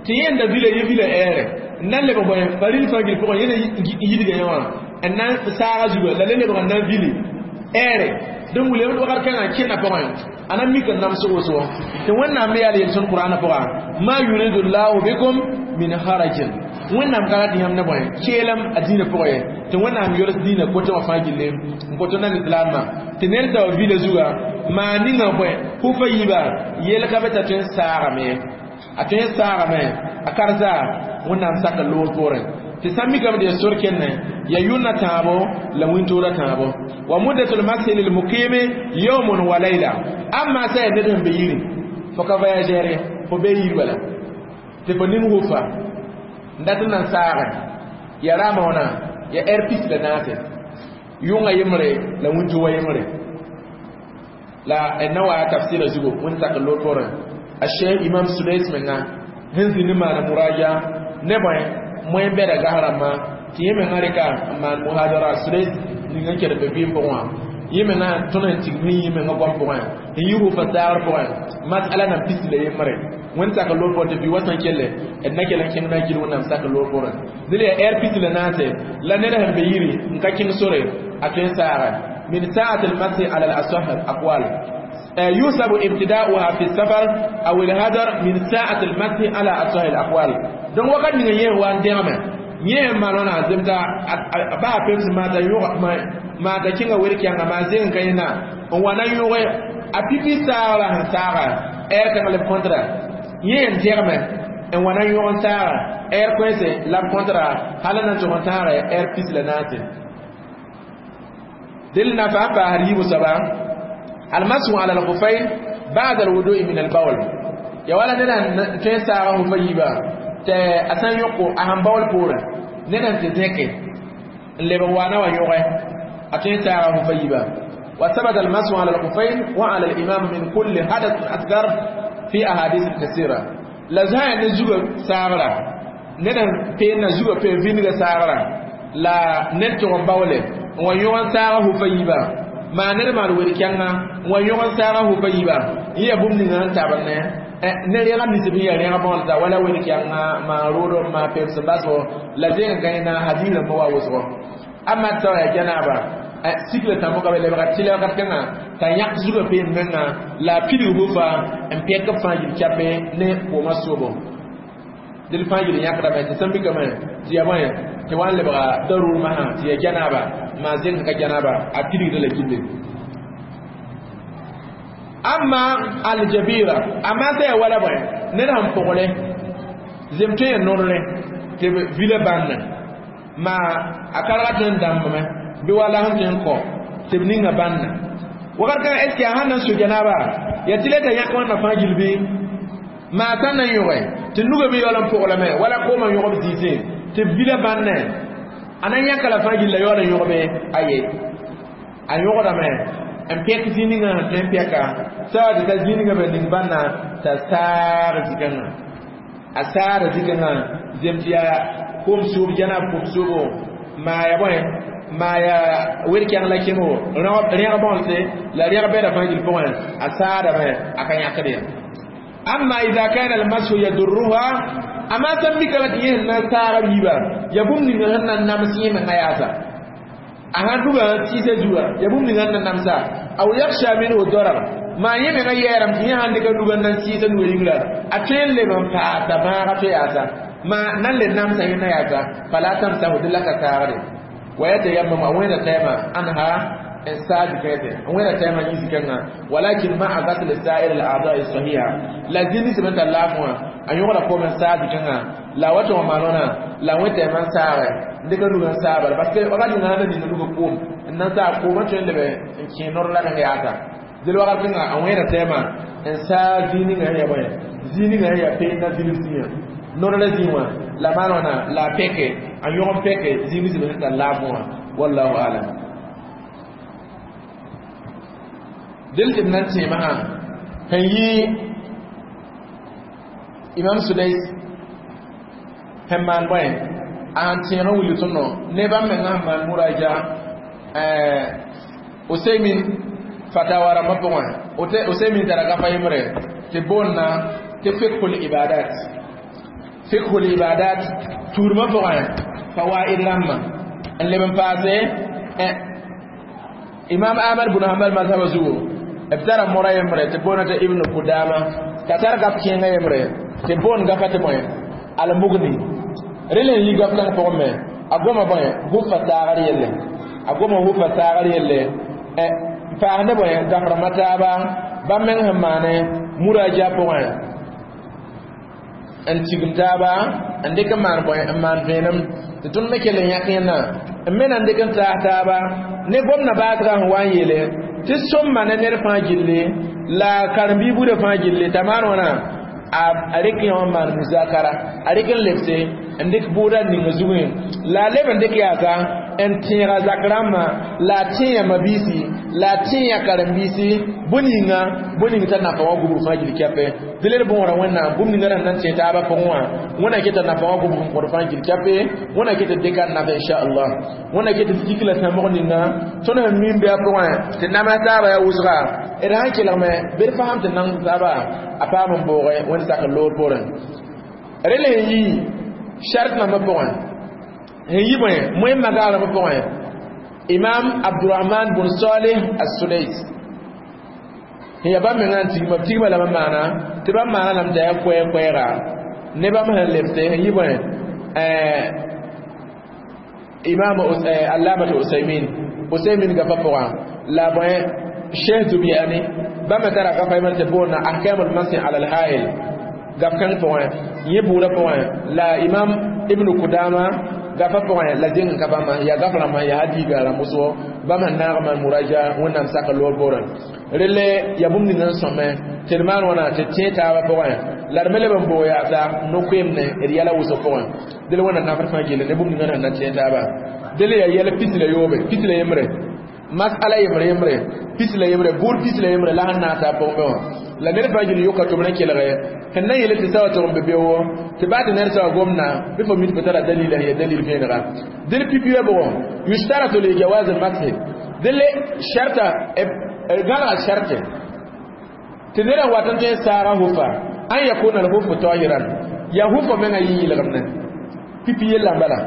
tɩ yẽ n da vila yẽ vila ɛɛrɛ n na n lebg bõe faril fãa gil pʋgẽ yẽ na yidga yẽ wã n na n saaga zuga la le lebg n na n vili Ere dẽn wilame wakat kãngã kẽnda pʋgẽ a na mik n nams wʋsgo tɩ Wẽnnaam me yaa yel-sõnd Qur'aanã pʋga ma yuridu llahu bikum min harajin Wẽnnaam ka rat yãmb ne bõe keelem a dĩinã pʋgẽ ye tɩ Wẽnnaam yols dĩinã kotẽ wã fãa gilli n kot nan islaamã tɩ ned t'a wa vila zuga maa ninga bõe hufa yiiba yel ka be t'a tõe n saagame ye a tõe n saagame a karza Wẽnnaam sak n loog poorẽ tɩ sã n mikame tɩ ya sor kenne ya yʋnna tãabo la wĩntoorã tãabo wa muddatul mashi lil muqimi yawmun wa layla amma sã ya ned sẽn be yiri fo ka voyageur ye fo bee yir bala tɩ fo ning hufa n dat n na n saagẽ ya raama wãna ya ɛr pis la naase yʋngã yembre la wĩntoogã yembre la d na wa tafsɩra zugu wẽnd sak n loog poorẽ a Cheikh Imam Sudais menga sẽn zĩnd maana muraja ne bõe moẽ bɛda gas rãmbã tɩ yẽ mengã rɩka n maan muhadara Sudais ning n ked be vɩɩm pʋgẽ wã yẽ mengã tõnd sẽn tigm sẽn yĩ mengã goam pʋgẽ n yi hufa saagr pʋgẽ masala nan pis la yembre wẽnd sak n loog poorẽ tɩ bɩ wa sã n kelle d na kell n kẽng na n gil Wẽnnaam sak n loog poorẽ dẽla yaa ɛr pis la naase la ned sẽn be yiri n ka kẽng sore a tõe n saaga min sa'at al-masih ala al-asah al-aqwal يوسب ابتداؤها في السفر أو الهدر من ساعة المسح على أصح الأقوال donc wakat ninga yẽ wa n dẽgame yẽ n maan wãna zemta ba a pems maata yʋg maata kẽnga wer-kɛnga maa zeng n ka yẽna n wa na yʋge a pipi saagra sẽn saaga ɛɛr kãng leb kõntra yẽ n dẽgame n wa na yõg n saaga ɛɛr koɛɛse la b kõntra hal n na n tʋg n tãage ɛɛr pis la naase del na fa n paasd yiibu soaba almasu ala alkhufayn ba'da alwudu'i min albawl ya wala ned n tõe n saaga hufa yiiba tɩ a sã n yõko a sẽn baool poorẽ ned n tɩ zẽke n lebg waana wa yõge a tõe n saaga hufa yiiba وثبت المسح على الخفين وعلى الإمام من كل حدث أصغر في أحاديث كثيرة la zã ne zugã saagra ned n peenna zugã peen vĩndgã saagra la ned tʋg n baoole n wa yõg n saaga hufa yiiba maa ned maan wer-kɛngã n wa yõg n saaga hufa yiiba n yaa bũmb ninga sẽn tabd ne ne rẽga nisb sẽn yaa rẽga bõolta wala wer-kɛngã maa roodb maa pems n basgo la zeng n ka yẽna hadiis rãmbã wa wʋsgo amma tɩ yaa janaaba sikla tãmbo ka be lebga tɩlɛ wakat kãngã t'a yãk zugã peen menga la a pidg hufa n pẽk b fãa yil chape ne koomã soobo dẽl fãa yil yãkdame tɩ sẽn mikame tɩ yaa bõe tɩ wa n lebga darur masã tɩ yaa janaaba maa zeng ka janaaba a pidgda la gilli amma aljabira amma sã yaa wala bõe ned sẽn pʋgre zem tõe n nodre tɩ b vila bãnna maa a karga tõe n dãmbame bɩ wala sẽn tõe n kõ tɩ b ninga bãnna wakat kãngã est ce que a sãn na n so janaaba yaa tɩ la t'a yãk wãnna fãa gill bɩ maa sã n na n yõge tɩ nugã me yaool n pʋglame wala koomã yõgb zĩisẽ tɩ b vila bãnne a na n yãka la fãa gill la yaool n yõgbe aye a yõgdame n pẽk zĩ ninga sẽn tõe n pɛka sã tɩ ta zĩ ninga be ning bãnna t'a saag zikãngã a saada zikãngã zem tɩ yaa koom soob janaab koom soobo maa ya bõe maa ya wer-kɛng la kẽngo rẽg bõolse la rẽg bɛda fãa gill pʋgẽ a saadame a ka yãkd ye amma ida kana almashu yadurruha amma sãn mikame tɩ yẽ sẽn na n saaga b yiiba ya bũmb ninga sẽn na n nams yẽ menga yaasa a sãn duga n tɩɩsa zuga ya bũmb ninga sẽn na n namsa aw yakhsha minhu darar maa yẽ menga yɛɛrame tɩ yẽ sãn dɩka nuga n na n tɩɩsa nuga yĩngra a tõe n leb n paasa bãaga tɩ yaasa maa nan le namsa yẽnda yaasa fala tamsahu dɩ la ka saagde wa yatayammam a wẽnda tɛɛmã anha n saag zikãete n wẽnda tɛɛmã yĩ zikãngã walakin ma'a ghasl sa'ir al-a'dha'i sahiha la zĩnd sẽm n tar laafẽ wã a yõgda koom n saag zikãngã la a wa tɩ wã maan wãna la wẽ tɛɛmã n saagɛ n dɩka nuga n saag bala parce que wakat ninga sãn na ninga nuga koom n na n saag koomã tõe n lebe n kẽ nor la meng yaasa dẽl wakat kãnga a wẽeda tɛɛmã n saag zĩig ninga sẽn yaa bõe zĩig ninga sẽn yaa peen na vilf zĩigã nor la zĩig wã la maan wãna la a pẽke a yõg n pẽke zĩig sẽm sẽn tar laafẽ wã wallahu alam dẽl tɩ b na n tẽemã sẽn yɩ Imam Sudais sẽn maan bõe a sẽn tẽeg n wilg tõndo ne bãmb mengã sẽn maan muraja Usaymin fatawa rãmbã pʋgẽ Usaymin tara gafa yembre tɩ boonna tɩ fiqhul ibadat fiqhul ibadat tuudmã pʋgẽ fawaid rãmbã n leb n paase Imam Ahmad bin Hanbal mazhab zugu b tara mora yembre tɩ boona tɩ Ibn Kudama t'a tar gap kẽengã yembre tɩ boon gafa tɩ bõe Al-Mughni rel n yi gap kãng pʋgẽ me a goma bõe hufa saagr yelle a goma hufa saagr yelle n paasdẽ bõe gaf rãmbã taaba bãmb meng sẽn maane muraja pʋgẽ n tigim taaba n dɩk n maan bõe n maan vẽenem tɩ tõnd me kell n yãk yẽnna n me na n dɩk n taas taaba ne gomdã baasgã sẽn wa n yeele tɩ sõmma ne ned fãa gilli la karen-biig buudã fãa gilli t'a maan wãna a rɩk yã wã n maan muzakara a rɩk n lebse n dɩk bʋʋda ning zugẽ la a leb n dɩk yaasa n tẽega zak rãmbã la a tẽe mabiisi la a tẽe karen-biisi bõe-ninga bõe-ning t'a nafa wã gubg fãa gil kɛpɛ dɩ d bõora Wẽnnaam bũmb ninga sẽn na n tẽ taabã pʋgẽ wã Wẽnna ket nafa wã gubg n kõd fãa gil kɛpɛ Wẽnna ket dɩka n nafa inchallah Wẽnna ket tɩ kik la sãmbg ninga tõnd sẽn mim bɩ a pʋgẽ tɩ nams taaba yaa wʋsga d sãn kelgme bɩ d fasem tɩ nang taaba a paam n booge Wẽnd sak n loor poorẽ rel sẽn yi shart nambã pʋgẽ sẽn yi bõe moẽmã gagrãmbã pʋgẽ Imam Abdurrahman bun Salih As-Sudais sẽn yaa bãmb mengã n tigma b tigma lame n maana tɩ bãmb maana lame t'a yaa koɛɛ-koɛɛga ne bãmb sẽn lebse sẽn yi bõe Imam Allamatu Usaymin Usaymin gafa pʋgã la bõe Cheikh Zubyani bãmb me tara gafa yembre tɩ boonna Ahkamul Masih ala al-Hail gaf kãng pʋgẽ yẽ buudã pʋgẽ la Imam Ibn Kudama gafa pʋgẽ la zẽng n ka bãmba yaa gaf rãmbã yaa hadiiga rãmb wʋsgo bãmb sẽn naag maan muraja Wẽnnaam sak n loor poorẽ relle yaa bũmb ning n sõme tɩ d maan wãna tɩ tẽ taabã pʋgẽ la d me leb n boog yaasa no-koeemne d yɛla wʋsg pʋgẽ dɩl Wẽnnaam nafd fãa gilli ne bũmb ninga sẽn na tẽ taaba dɩl yaa yɛl pis la yoobe pis la yembre masala yembre yembre pis la yembre buud pis la yembre la sẽn naag t'a pʋgẽ be wã la ned fãa gil yoka tʋm rẽ kelge sẽn na yele tɩ sawa tʋg n be beoogo tɩ baa tɩ ned sawa gomdã bɩ fo mi tɩ fo tara dalila ya dalil vẽenega dɩl pipi wã bʋgõ yushtaratu li jawaz al masih dɩl sharta gãlga sharte tɩ ned n wat n tõe n saaga hufa an yakuna al hufu tahiran ya hufa menga yɩ yɩlgemne pipi yella n bala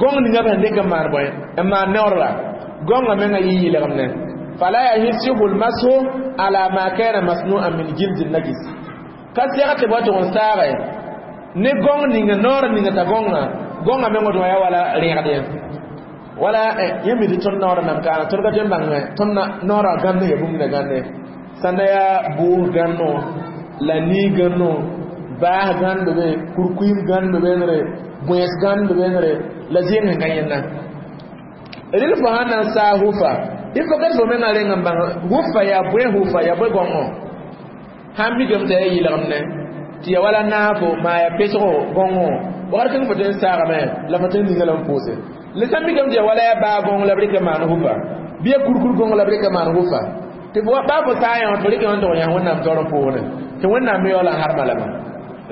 gõng ninga b sẽn dɩk n maan bõe n maan neoor la gõngã menga yɩ yɩlgemne fala yasihu almashu ala ma kana masnu'an min jild najis ka sɛg tɩ ba tʋg n saage ne gõng ninga noor ninga t'a gõngã gõngã meng tɩ yaa wala rẽgd wala yẽ mi tɩ tõnd noorã nam kaana tõnd ka tõe n bãngẽ tõnd noorã gãnd ya bũmb na gãnde sãnda yaa bʋʋs gãnno la nii gãnno baas gãnd be kurkuim gãnd be bões gãnd be la zẽng sẽn ka yẽnda rel fo sãn na n saag hufa il faut que fo menga reng n bãng hufa yaa bõe hufa yaa bõe gõngo sãn mikame t'a yaa yɩlgemne tɩ ya wala naafo maa ya pesgo gõngo wakat kãng fo tõe n saagame la fo tõe n ninga la n pʋʋse le sãn mikame tɩ ya wala yaa baa gõng la b rɩk n maan hufa bɩ ya kurkur gõng la b rɩk n maan hufa tɩ baa fo saa yã tɩ rɩk n tʋg yã Wẽnnaam taoor n pʋʋsne tɩ Wẽnnaam me yaool n harma lame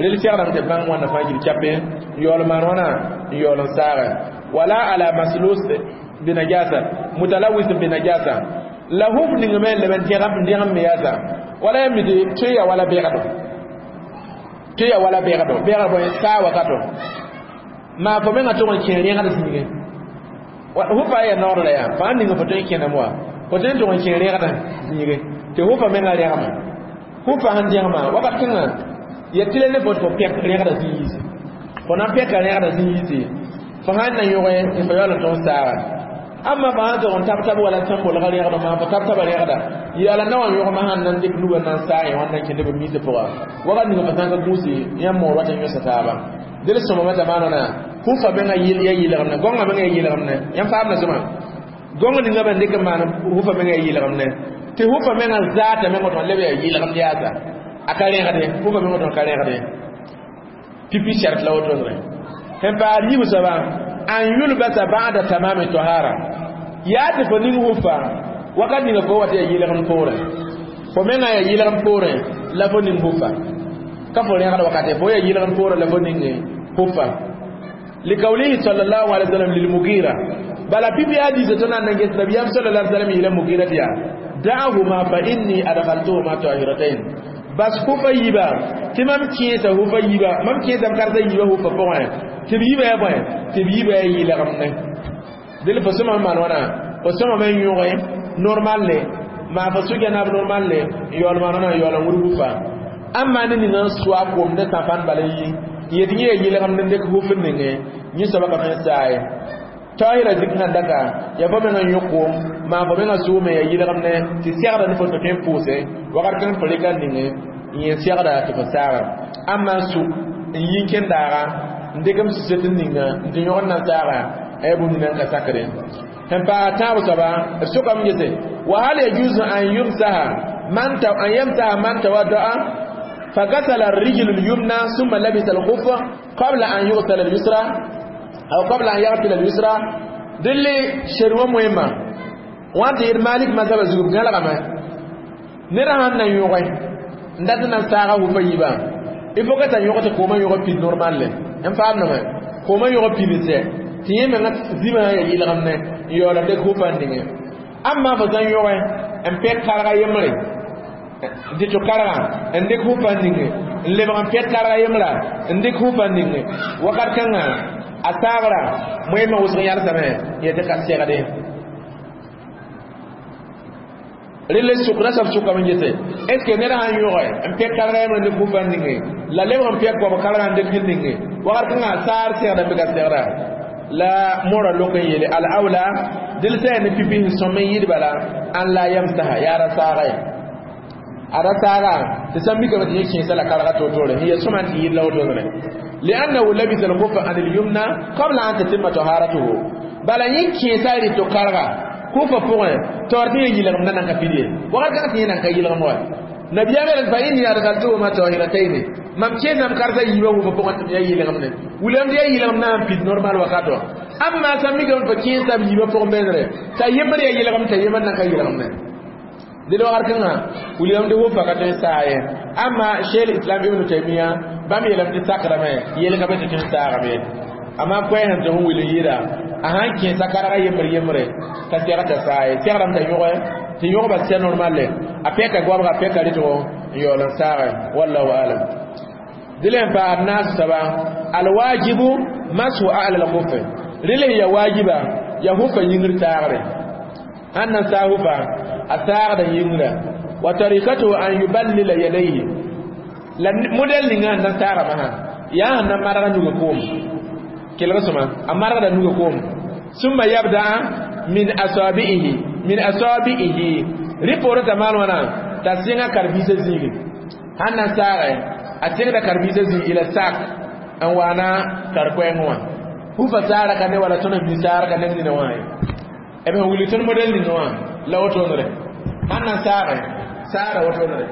rel segrame tɩ bãng wãnna fãa gil kɛpe n yaool maan wãna n yaool n saage wala ala maslus binajasa mutalawis binajasa la huf ning me leben dẽgem me yaasa wala ya midi tõe ya wala bɛgdo tõe ya wala bɛgdo bɛgd bõe saa wakato maa fo menga tʋg n kẽ rẽgd zĩige hufa ya noor la yaa fãa ning fo tõe n kẽnem wa fo tõe n tʋg n kẽ rẽgd zĩige tɩ hufa menga rẽgma hufa sẽn dẽgma wakat kãngã ya tɩ la ne fo tɩ fo pɛk rẽgda zĩ yiisi fo na n pɛka rẽgda zĩ yiisi fo sãn na yõge tɩ fo yaool n tõg saaga amma fa sãn tʋg n tab tab wala sẽn bolga rẽgda maa fo tab taba rẽgda yaala na wa yõgma sãn na n dɩk nugã na n saa yẽ wãn na n kẽnd b miisã pʋga wakat ninga fo sãn ka gũusi yãmb moor wat n yõsa taaba dɩl sõmame t'a maana hufa menga ya yɩlgemne gõngã menga ya yɩlgemne yãmb faamda sõma gõng ninga b dɩk n maan hufa menga ya yɩlgemne tɩ hufa menga zaata menga tõn leb ya yɩlgemd yaasa a ka rẽgde hufa menga tõn ka rẽgde pipi shart la wotone sẽn paas yiib soaba an yulbasa ba'da tamami tahara yaa tɩ fo ning hufa wakat ninga fo wa tɩ ya yɩlgem poorẽ fo menga ya yɩlgem poorẽ la fo ning hufa ka fo rẽgd wakate fo ya yɩlgem poorẽ la fo ning hufa likawlihi sallallahu alaihi wasallam lilmugira bala pipi hadisa tõnd na n ges nabiyam sallallahu alaihi wasallam yeela Mugira tɩ yaa da'ahuma fa inni adkhaltuhuma tahiratain bas hufa yiiba tɩ mam kẽesa hufa yiiba mam kẽesame karsa yiiba hufa pʋgẽ tɩ b yiiba yaa bõe tɩ b yiiba yaa yɩlgemne dɩl fo sõma maan wãna fo sõmame n yõge Normal le maa fo sʋka naab normal le n yaool maana n yaool n wʋrg hufa amma ne ninga n sʋa koom ne sãfan bala yi yet yẽ ya yɩlgem n dɩk huf n ninge yẽ soaba ka tõe n saa ye tahira zik sẽn daka ya fo meng n yõ koom maan fo mengã sʋʋme ya yɩlgem ne tɩ segda ne fo tɩ tõe n pʋʋse wakat kãng fo rɩka n ninge n yẽ segda tɩ fo saaga amma n sʋk n yi n kẽn daaga n dɩk m suset n ninga n tɩ yõgd na n saaga a yaa bũmb nina n ka sakre sẽn paas tãab soaba b sʋkame gese wa hal yajuzu an yumsaha man an yamsaha man tawaddaa فغسل الرجل اليمنى ثم لبس الخف قبل أن يغسل اليسرى أو قبل أن يغسل اليسرى دلي شروع مهمة وانت يد مالك ما سبب زوج قال غما نرى أن يوغي ندتنا ساعة وفيبا il faut que ta yõg tɩ koomã yõg pid normal le n faamdame koomã yõg pid sɛ tɩ yẽ menga zĩmã ya yɩlgem ne n yaoola dɩk hufa n ninge amma fo sã n yõge n pɛk karga yembre dɩ tɩ karga n dɩk hufa n ninge n lebg n pɛk karga yembra n dɩk hufa n ninge wakat kãnga a saagra moẽmã wʋsg yalsame yetɩ ka segde rele sʋk rasab sʋkame n gese est ce que ned sãn yõge n pɛk karga yembre n dɩk hufa n ninge la lebg n pɛk goam karga n dɩk n ninge wakat kãnga a saar segda bɩ ka segda la mora lok n yeele al awla dɩl sã ne pipi sẽn sõm n yɩɩd bala an la yamsaha yaa ra saaga ye a ra saaga tɩ sã n mikame tɩ yẽ kẽesa la karga toor-toore n ya sõma tɩ yɩɩd la wotone لأنه لبس الخف عن اليمنى قبل أن تتم طهارته بل yẽ kẽesa rɩ karga hufa pʋgẽ taoor tɩ yẽ yɩlgem na nan ka pid ye wakat kãng tɩ yẽ nan ka yɩlgem wa nabiyam yel fa inni adkhaltuhuma tahiratayn mam kẽesam karsa yiibã hufa pʋgẽ tɩ m yaa yɩlgem ne wilame tɩ yaa yɩlgem na n pid normal wakato amma sã mikame fa kẽesam yiibã pʋgẽ bẽenere t'a yembr yaa yɩlgem t'a yembr nan ka yɩlgem ne dɩl wakat kãngã wilame tɩ hufa ka tõe n saa ye amma cheikh islam ibn taymiya bãmb yeelame tɩ sakrame yel ka be tɩ tõe n saagame amma koɛɛ sẽn tɩ f wil n yɩɩda a sãn kẽesa karga yembre yembre ka sɛg t'a saa ye segrame t'a yõge tɩ yõgba sɛ normal le a pɛka goabga a pɛka rɩtgo n yaool n saage wallahu alam dɩl n paas naas soaba alwajibu masu ala lkufe rɩl ya wajiba ya hufa yĩngr taagre sãn na saa hufa a saagda yĩngra wa tarikatuhu an yuballila yadayhi la modɛl ninga sẽn na saaga masã yaa sẽn na marga nuga koom kelg sõma a margda nuga koom summa yabda min asabi'ihi min asabi'ihi rɩ poorẽ t'a maan wãna t'a sẽnga karen-biisã zĩigi sãn na saagɛ a sẽngda karen-biisã zĩig ila sak n waana kar-koɛɛngẽ wã hufa saara ka ne wala tõnd bi saara ka neng nina wã ye b sẽn wilg tõnd modɛl ninga wã la wotoonre sãn na saagɛ saara wotoonre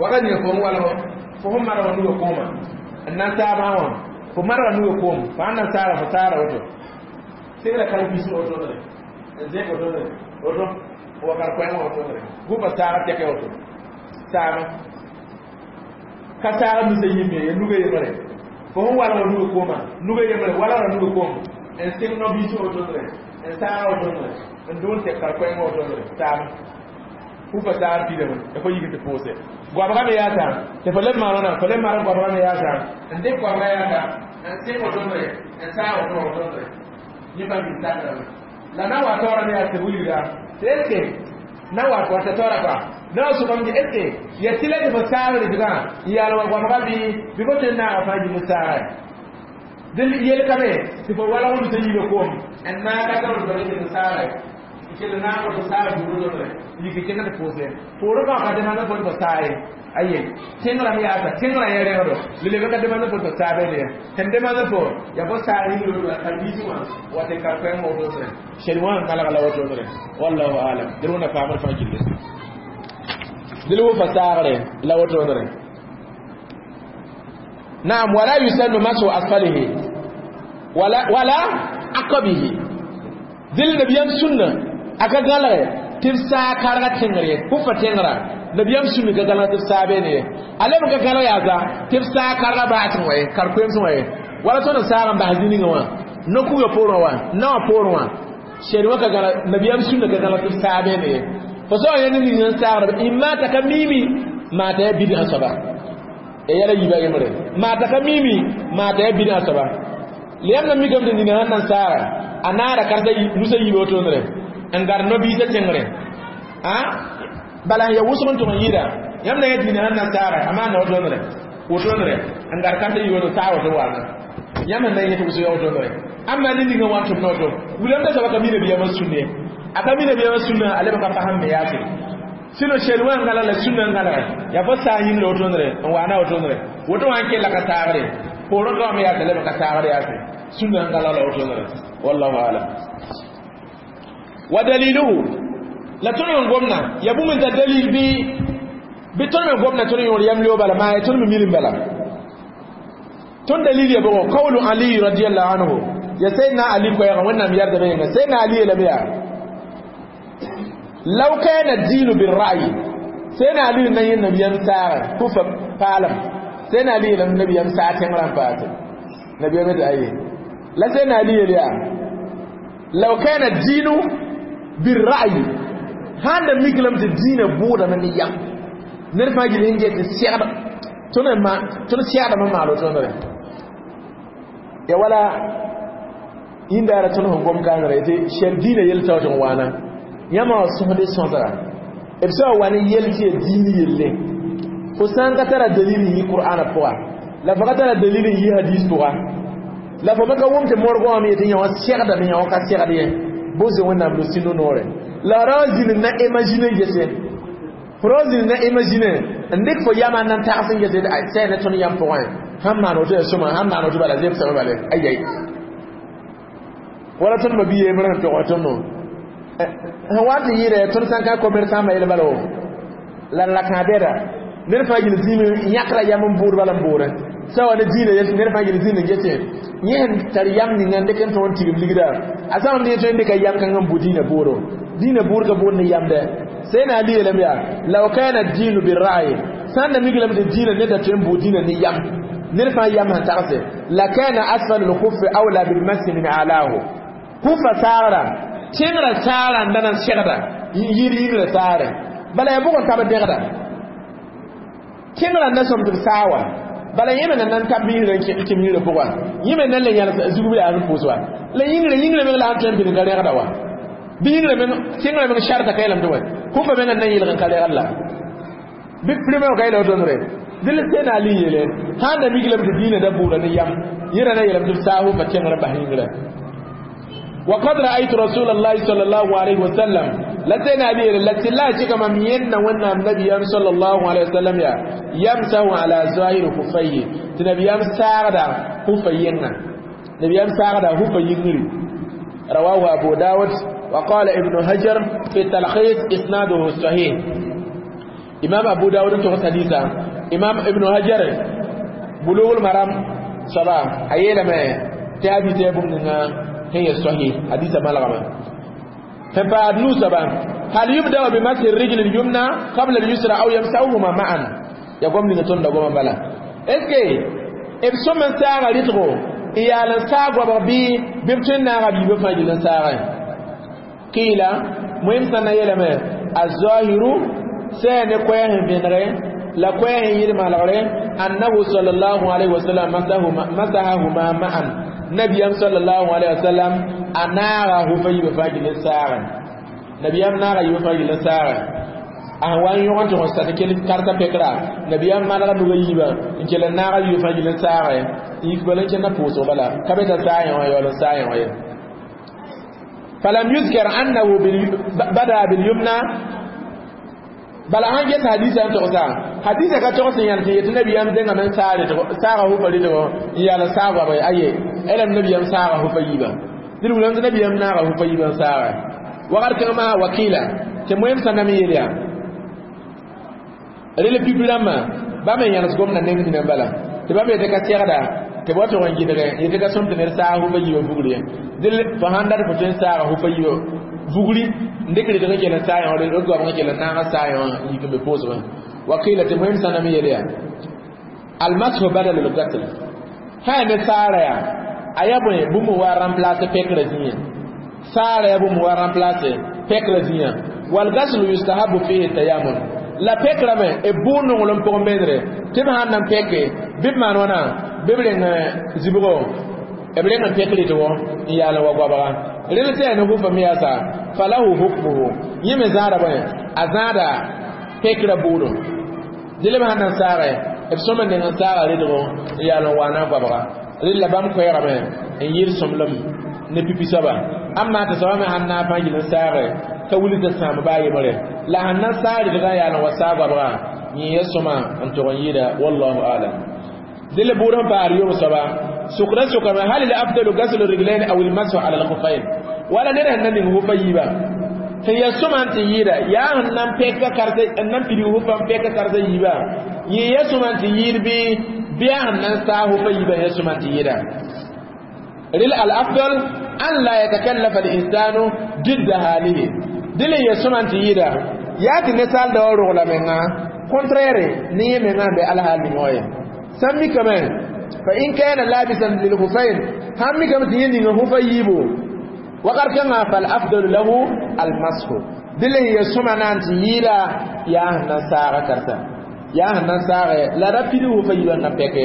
wakat ninga fo n walg fo sẽn marg nuga koomã n na n saabã wã fo marga nuga koom fo sãn na n saara fo saara woto sẽngra karen-biisẽ wotoonre n zẽk wotoonre woto wa kar-koɛɛngã wotoonre hufa saaga tɛkɛ woto saama ka saaga nusa yĩmbe ya nuga yembre fo sẽn walg nuga koomã nuga yembre walgra nuga koom n sɩng no-biisẽ wotoonre n saaga wotoonre n dʋ n tɛk kar-koɛɛngã wotoonre saama hufa saar pidame ya fo yik tɩ pʋʋse goabga me yaasa tɩ fo leb maan wãna fo leb maan goabga me yaasa n dɩk goabga yaasa n sɩng wotoonre n saag woto wotoonre yẽ pa mil sakrame la na wa taoora me yaa tɩ wilga tɩ est ce que na wa wa taoora kɔa na wa sʋkame tɩ est ce que ya tɩ la tɩ fo saag rɩtgã n yaal wa goamga bɩ bɩ fo tõe n naaga fãa yim saagɛ dɩl yelkame tɩ fo walg nusa yiibã koom n naag ka taoor tɩ fo saagɛ kell naag fo saag buudre yik kẽng tɩ pʋʋse poorẽ fãa ka demande fo tɩ saa ye aye tẽngrã me yaasa tẽngrã yẽ rẽgdo le ka demande fo tɩ saa be sẽn demande fo ya fo saag yĩngr la kar-biisẽ wã wa tɩ kar-koɛɛngã wotodre sel wã n kalg la wotodre wallahu alam dɩl wẽnna faamd fãa gilli dɩl wʋfa saagre la wotodre naam wala yusannu masu asfalihi wala aqabihi dɩl nabiyam sunna aka gãlge tɩ b saa karga tẽngr ye hufa tẽngrã nabiyam sunni ka gãlg tɩ b saa beene ye a leb n ka gãlg yaasa tɩ b saa karga baasẽ wã ye kar-koeemsẽ wã ye wala tõnd n saag n bas zĩ-ninga wã no-kuga poorẽ wã naowã poorẽ wã sɛd wã ka gãlg nabiyam sunna ka gãlg tɩ b saa beene ye fo sã wa yẽ ne ning n saagd ɩma t'a ka miimi maa t'a yaa bidã soaba ya yɛla yiibã yembre maa t'a ka miimi maa t'a yaa bidã soaba leyam na mikame tɩ nina sãn na n saaga a naara karsa nusa yiiba wotondre N gar no-biisã tẽngre a bala ya wʋsg n tʋg n yɩɩda yãmb na yã dĩinã sẽn na saagɛ a maanda wotondre wotondre n gar karta yoor n saag woto waana yãmb sẽn na yẽ tɩ wʋsg ya wotondre amma ne ninga wan tʋm na woto wilame da soaba ka mi nabiyaamã sũnn ye a ka mi nabiyaamã sũnna a leb ka fasẽm me yaase sɩno shel wã n gãlag la sũnna n gãlge yaa fo saa yĩngre wotondre n waana wotondre woto wã n kella ka saagre poorẽ ka wã me yaase leb n ka saagr yaase sũnna n gãlag la wotondre wallahu alam. Wa daliluhu la tõnd n gomna ya bũmb n tar dalil bɩ bɩ tõnd me gomna tõnd yõor yam leo bala maa ya tõnd me milim bala tõnd dalil ya bʋgɔ qawlu Ali radiallahu anhu ya sayyidina Ali koɛɛgã wẽnnaam yardame yẽnga sayyidina Ali yeelame yaa law kana ad-dinu bir-ra'yi sayyidina Ali na yẽ nabiyam saagã kufa paalem sayyidina Ali yeelame nabiyam saag tẽngrã n paase nabiyam tɩ aye la sayyidina Ali yeel yaa law kana ad-dinu bir-ra'yi sãn da mik lame tɩ dĩinã bʋʋdame ne yam ned fãa gil sẽn get n segd tõnd segdame n maal wotondre ya wala yĩndaara tõnd sẽn gom kãngre tɩ shɛl dĩinã yel tao tɩ n waana yãmba wã sõsd sõsga b sã wa ne yel tɩ ya diin yelle fo sã n ka tara dalil n yi qur'ana pʋga la fo ka tara dalil n yi hadis pʋga la fo me ka wʋm tɩ morgã wã me yetɩ yã wã segdame yã wã ka segd ye bose wẽnnaam lo sĩndo noore la ra zĩnd na imagine gese fo ra zĩnd na imagine n dɩk fo yama n na n tags n gese sɛ ne tõnd yam pʋgẽ sãn maan woto ya sõma sãn maan woto bala zemsame bale ayai wala tõnd ma bi yembrã sẽn tog tõndo sẽn wa tɩ yɩɩdɛ tõnd sã n ka commerçant ma yel bala wo la la kãa bɛda ned fãa gil zĩime yãkra yam n bʋʋd bala n bʋʋdẽ sã wa ne dĩinã yel ned fãa gil zĩnd n gese yẽ sẽn tar yam ninga n dɩk n tõog n tigim ligda a sã n tõe n dɩka yam kãng n bʋ dĩinã bʋʋdo dĩinã bʋʋd ka bʋʋd ne yamdɛ sẽn Ali yeelame yaa law kana ad-dinu bir-ra'yi sã n da mik lame tɩ dĩinã ned da tõe n bʋʋd dĩinã ne yam ned fãa yam sẽn tagse la kana asfal al-khuffi awla bil-masi min a'lahu kufa saagra tẽngrã saara n da na n segda yir yingrã saare bala ya bʋg n tab dẽgda tẽngrã n da sõm tɩ b saa wa bala yẽ me na nan tab yĩngrã n kẽm yĩngrã pʋga yẽ me nan le yãls zugb yaa n pʋʋs wa la yĩngrã yĩngrã meng la n tõe n pid n ka rẽgda wa bɩ yĩngrã meng tẽngrã meng sharta ka yeelame tɩ wa kufa meng n na yɩlg n ka rẽgd la bɩ prime ka yeela wotondre dɩl sẽn Ali yeele sãn da mik lame tɩ dĩinã da bʋʋda ne yam yẽra na yeelame tɩ b saa hufa tẽngrã bas yĩngrã. وقد رأيت رسول الله صلى الله عليه وسلم لسنا علي لتلا كما من ونا النبي صلى الله عليه وسلم يا يمسح على ظاهر خفيه تنبي يم ساغدا خفينا نبي يم ساغدا خفيين. رواه أبو داود وقال ابن هجر في التلخيص إسناده صحيح. إمام أبو داود تغس حديثا إمام ابن هجر بلوغ المرام صباح أيلا ما تابي تابون هي صحيح حديث ملغمة. فبعد نوسبا هل يبدأ بمسح الرجل اليمنى قبل اليسرى أو يمسحهما معا؟ يقوم لنتون دقوما بلا اسكي ابسو من ساغة رتغو إيالا ساغة بربي ببتن ناغة بفاجل ساغة. قيل مهم سنة يلمي الظاهر سين قويه بنغي لا قويه يرمى لغري أنه صلى الله عليه وسلم مسحهما معا. نبيام صلى الله عليه وسلم أناغا هو يبفاجل ساغة نبيام ناغا يبفاجل ساغة أهوان يوغن تغن ستكيل كارتا بكرا نبيام ما نغا نغا يبا إنك لناغا يبفاجل ساغة يكبلن كنا بوسو بلا كبتا ساغة ويولا ساغة ويولا. فلم يذكر أنه بدأ باليمنى بل أن جت حديثا تغسا حديثا كتغسا يعني يتنبي أم دينا من ساغة هو فريدو يالا ساغة بي أيه ألم نبي أم ساغة هو فيبا دل ولم نبي أم ناغة هو فيبا ساغة وقال كما وكيلا تمهم سنمي يليا ريل بيبلاما بما يانس قمنا نمي نبالا تبا يتكا سيغدا تبا تغن جدغ يتكا سمت نر ساغة هو فيبا فغري دل فهاندار فتن ساغة هو فيبا vugri ndekre de ngela saaya o de go ngela na saaya yik be pose ba wakila te muhim sana mi yeliya al mashu badal al qatl ha ne saara ya ayabo bu mu wa remplacer pekre zinya saara ya bu mu wa remplacer pekre zinya wal ghasl yustahabu fihi tayammum la pekra me e bu no ngolon po mendre te ma nan peke bi man wana bibre zibgo B reng n pek rɩdgo n yaal n wa goabga rel tɩ yaa ne hufa me yaasa falahu hukmuhu yẽ me zãada bõe a zãada pekra buudum dɩl b sãn na n saage b sõma neng n saaga rɩdgo n yaal n waana goabga rel la bãmb koɛɛgame n yɩɩd sõmblem ne pipi soaba amma tɩ soaba me sãn na n fãa yɩl n saage ka wilg t'a sãam baa yembre la sãn na n saag rɩdgã yaal n wa saag goabga yẽ ya sõma n tog n yɩɩda wallahu alam dɩl bʋʋd sẽn paasd yom soaba sʋkda sʋkame hal l afdalu gaslu riglain aw lmasu ala lkhufain wala ned sẽn na ning hufa yiiba sẽn ya sõma n tɩ yɩɩda yaa sẽn na n pɛka karsa n na n pidig hufa n pɛka karsa yiiba yẽ ya sõma n tɩ yɩɩd bɩ bɩ yaa sẽn na n saa hufa yiibã ya sõma n tɩ yɩɩda rel al afdal an la yatakallafa al insanu didda halihi dɩl n ya sõma n tɩ yɩɩda yaa tɩ ninsaal da wa rogla menga contraire ne yẽ menga n be alhaal ning wã ye sãn mikame fa in kana labisan lil khufayn ham mikame tɩ yẽ ninga hufa yiibo wakat kãngã fal afdalu lahu al mashu dɩl n ya sõma na n tɩ yɩɩda yaa sẽn na n saaga karsa yaa sẽn na n saage la ra pid hufa yiibã n na pɛke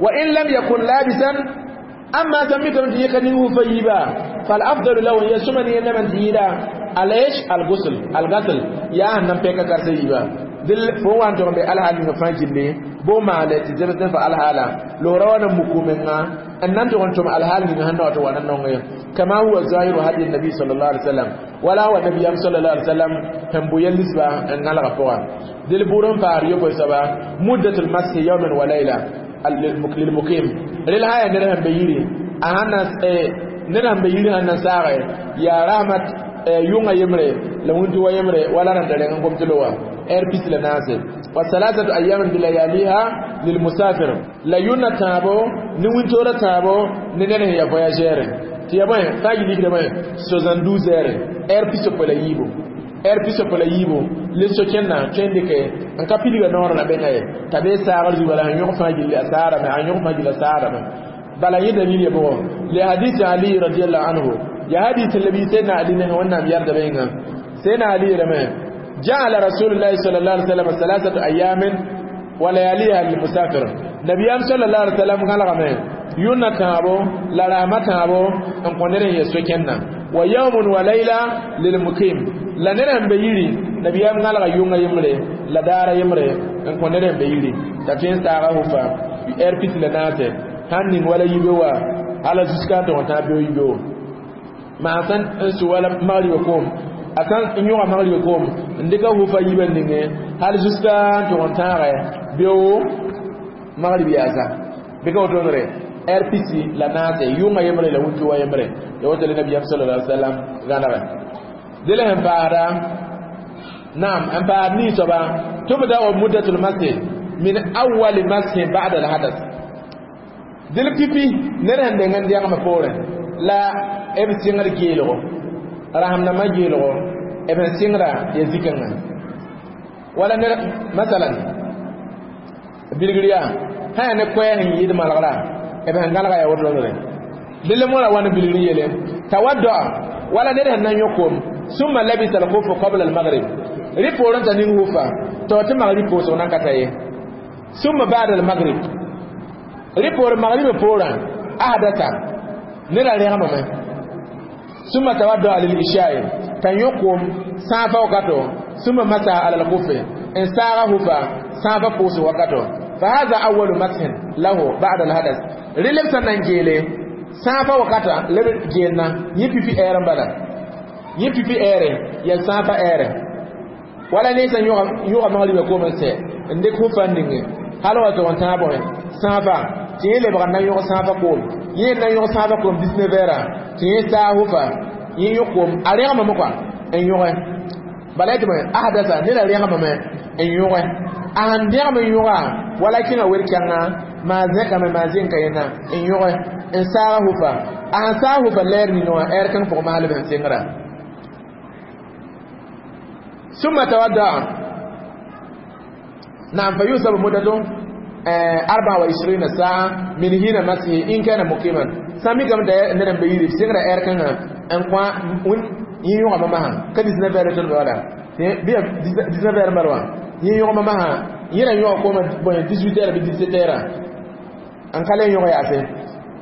wa in lam yakun labisan amma sãn mikame tɩ yẽ ka ning hufa yiiba fal afdalu lahu ya sõma ne yẽnda n tɩ yɩɩda al-ish al-ghusl al-ghasl yaa sẽn na n pɛka karsa yiiba dɩl fo wa n tʋg n be alhaal ninga fãa gilli bo maale tɩ zems fa alhaala loora wa na muku menga n na n tʋg n tʋm alhaal ninga sẽn na wa tɩ wa na nong ye kama huwa zahiru hadi nabi sallallahu alaihi wasallam wala wa nabiyam sallallahu alaihi wasallam sẽn bʋ yel lisba n gãlga pʋga dɩl bʋʋd n paar yopoe soaba muddatul mashi yawman wa layla lilmukim rel sã yaa ned sẽn be yiri a sãn na ned sẽn be yiri sãn na saage yaa rahmat yʋngã yembre la wĩntu wa yembre wala rãnda reng n gom tɩ lo wã heure pis la naase wa salasatu ayamin bilayaliha lilmusafir la yʋnna tãabo ne wĩntoorã tãabo ne ned sẽn ya voyageur tɩ ya bõe fãa yɩ likda bõe 72 heures heure pisopoe la yiibu heure pisopoe la yiibu le so-kẽnna tõe n dɩke n ka pidga noorã la benga ye t'a bee saagr zugu bala sẽn yõg fãa gilli a saarame a yõg fãa gilli a saarame bala yẽ dalil ya bʋgɔ le hadith ali radiallahu anhu ya hadith labi sayyidina ali ne wẽnnaam yarda benga sayyidina ali yeelame جعل رسول الله صلى الله عليه وسلم ثلاثة أيام ولياليها للمسافر نبي صلى الله عليه وسلم قال غمي يونا تابو لا رحمة تابو ان قنره يسوكنا ويوم وليلة للمقيم لا نرم بيري نبي قال يونا يمري لا دار يمري ان قنره بيري تفين ساغه فا ار بي لناسه هانين ولا يبوا على زسكا تو تابو يبو ما سن سوال مغرب كوم a sãn n yõga magrɩba koom n dɩka hufa yiibã ninge hal jusqu'à n tʋg n tãagɛ beoogo magrib yaasa bɩ ka wotone heure pisi la naase yʋngã yembre la wĩnto wa yembre ya woto le nabiyaam sallallahu alaihi wasallam gãnegɛ dɩl sẽn paasda naam n paasd nii soaba tubda'u muddatul masih min awwali masih ba'da al-hadas dɩl pipi ned sẽn deng n dẽgemã poorẽ la b sɩngd geelgo rasem-dãmbã geelgo b sẽn sɩngra ya zikãngã wala ned masalan bilgr yaa sã yaa ne koɛɛg n yɩɩd malgra b sẽn gãlga yaa wotodre dɩl mõra wa ne bilgr yele tawaddoa wala ned sẽn na n yõ koom summa labisa al-khufa qabla al-maghrib rɩ poorẽ t'a ning hufa tɩ tɩ magrib pʋʋsg nan ka ta ye summa ba'da al-maghrib rɩ poor magriba poorã ahdata neda rẽgmame summa tawaddoa lil-isha'i t'a yõ koom sãafa wakato summa masa ala al-khufi n saaga hufa sãafa pʋʋsg wakato fa hadha awwalu mashin lahu ba'da al-hadas rɩ leb sẽn na n geele sãafa wakata leb geenna yẽ pipi ɛɛr n bala yẽ pipi ɛɛre ya sãafa ɛɛre wala ne sẽn yõga magriba koom n sɛ n dɩk hufa n ninge hal wa tʋg n tãag bõe sãafa tɩ yẽ lebg n na n yõg sãafa koom yẽ n na n yõg sãafa koom 19 heures tɩ yẽ saa hufa yẽ yõ koom a rẽgmame kɔa n yõge bala tɩ bõe ahdasa neda rẽgmame n yõge a sẽn dẽgem n yõga wala kẽnga wer-kɛngã maa zẽkame maa zẽnka yẽna n yõge n saaga hufa a sẽn saag hufa lɛɛr ning wã ɛɛr kãng pʋgẽ maa leb sẽn sɩngra ثم تودع نعم فيوسف مدته 24 ساعة من هنا مسه إن كان مقيما سامي كم ده ندم بيري سينغرا إير كان أن كوا ون ييوغا ماما ka 19 heures ton wala biya 19 heures marwa yɩ yõgma masã yẽra yõga kooma bõe 18 heures bɩ 17 heures n ka le yõg yaase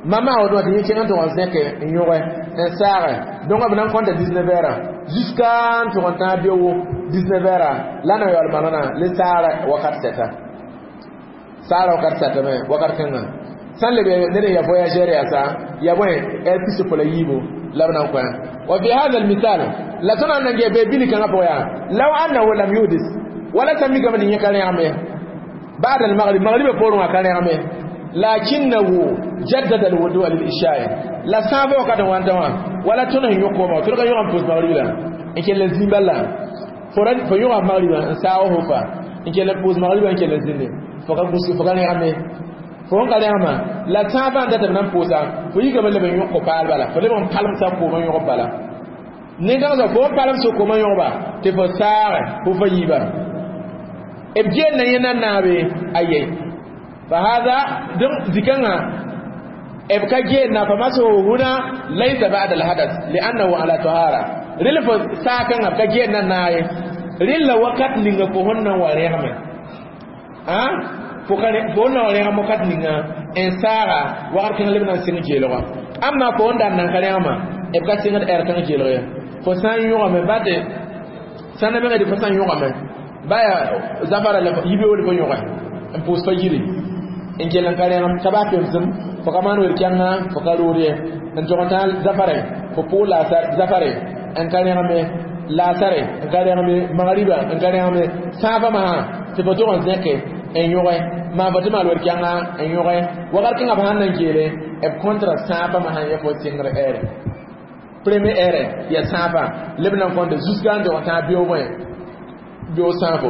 Mama a woto tɩ yẽ kẽng n tʋg n zẽke n yõge n saage donc b na n kõnta 19 heures jusqu'à n tʋg n tãag beoogo 19 heures la na yaool manana le saara wakat sɛta saara wakat sɛtame wakat kãngã sãn lebe ned n ya voyageur yaasa ya bõe heure pis la yiibu la b na n kõ wa fi hada almisal la tõnd na n gee bee bili kãngã pʋgã yaa law annahu lam yuhdis wala sã mikame tɩ yẽ ka rẽgme ba'da al-maghrib maghriba poorẽ wã ka rẽgme lakinnahu jaddada alwudu'a lil-isha'i la sãaba wakat n wãnta wã wala tõnd sẽn yõ kooma tõnd ka yõga n pʋs magribi la n kell n zĩ bala fo yõga magriba n saag hufa n kell n pʋs magriba n kell n zĩnde fo ka gũsgi fo ka rẽgme fo n ka rẽgma la sãabã n dat b na n pʋʋsa fo yikame leb n yõk ko-paal bala fo leb n palmsa koomã yõgb bala nin-kãng soab fo n palem so koomã yõgba tɩ fo saage fo fa yiiba b geel yẽ na naabe aye fa hada donc zikãngã b ka geel na fa masahu huna laysa ba'da al-hadath li'annahu ala tahara rel fo saakãngã b ka geel na naaye rel la wakat ninga fo sẽn na n wa rẽgme a fo sẽn na wa rẽgem wakat ninga n saaga wakat kãng leb na n sɩng geelgã amma fo n daan nan ka rẽgmã b ka sɩngd ɛr kãng geelg ye fo sã n yõgame ba tɩ sã n mengd fo sã n yõgame baya zafara la yibeool fo yõge n pʋʋs fa yiri n kell n ka rẽgem ka baa pemsem fo ka maan wel-kɛngã fo ka rood ye n tʋg n tãag zafare fo pʋʋg zafare n ka rẽgeme laasare n ka rẽgeme magriba n ka rẽgeme sãafã masã tɩ fo tʋg n zẽke n yõge maa fo tɩ maal wel-kɛngã n yõge wakat kẽngã b sãn na n geele b kõntra sãafã masã yẽ fo sɩngr ɛɛre premier heure ya sãafã leb na n kõnta jusqu'à n tʋg n tãag beoog bõe beoog sãafo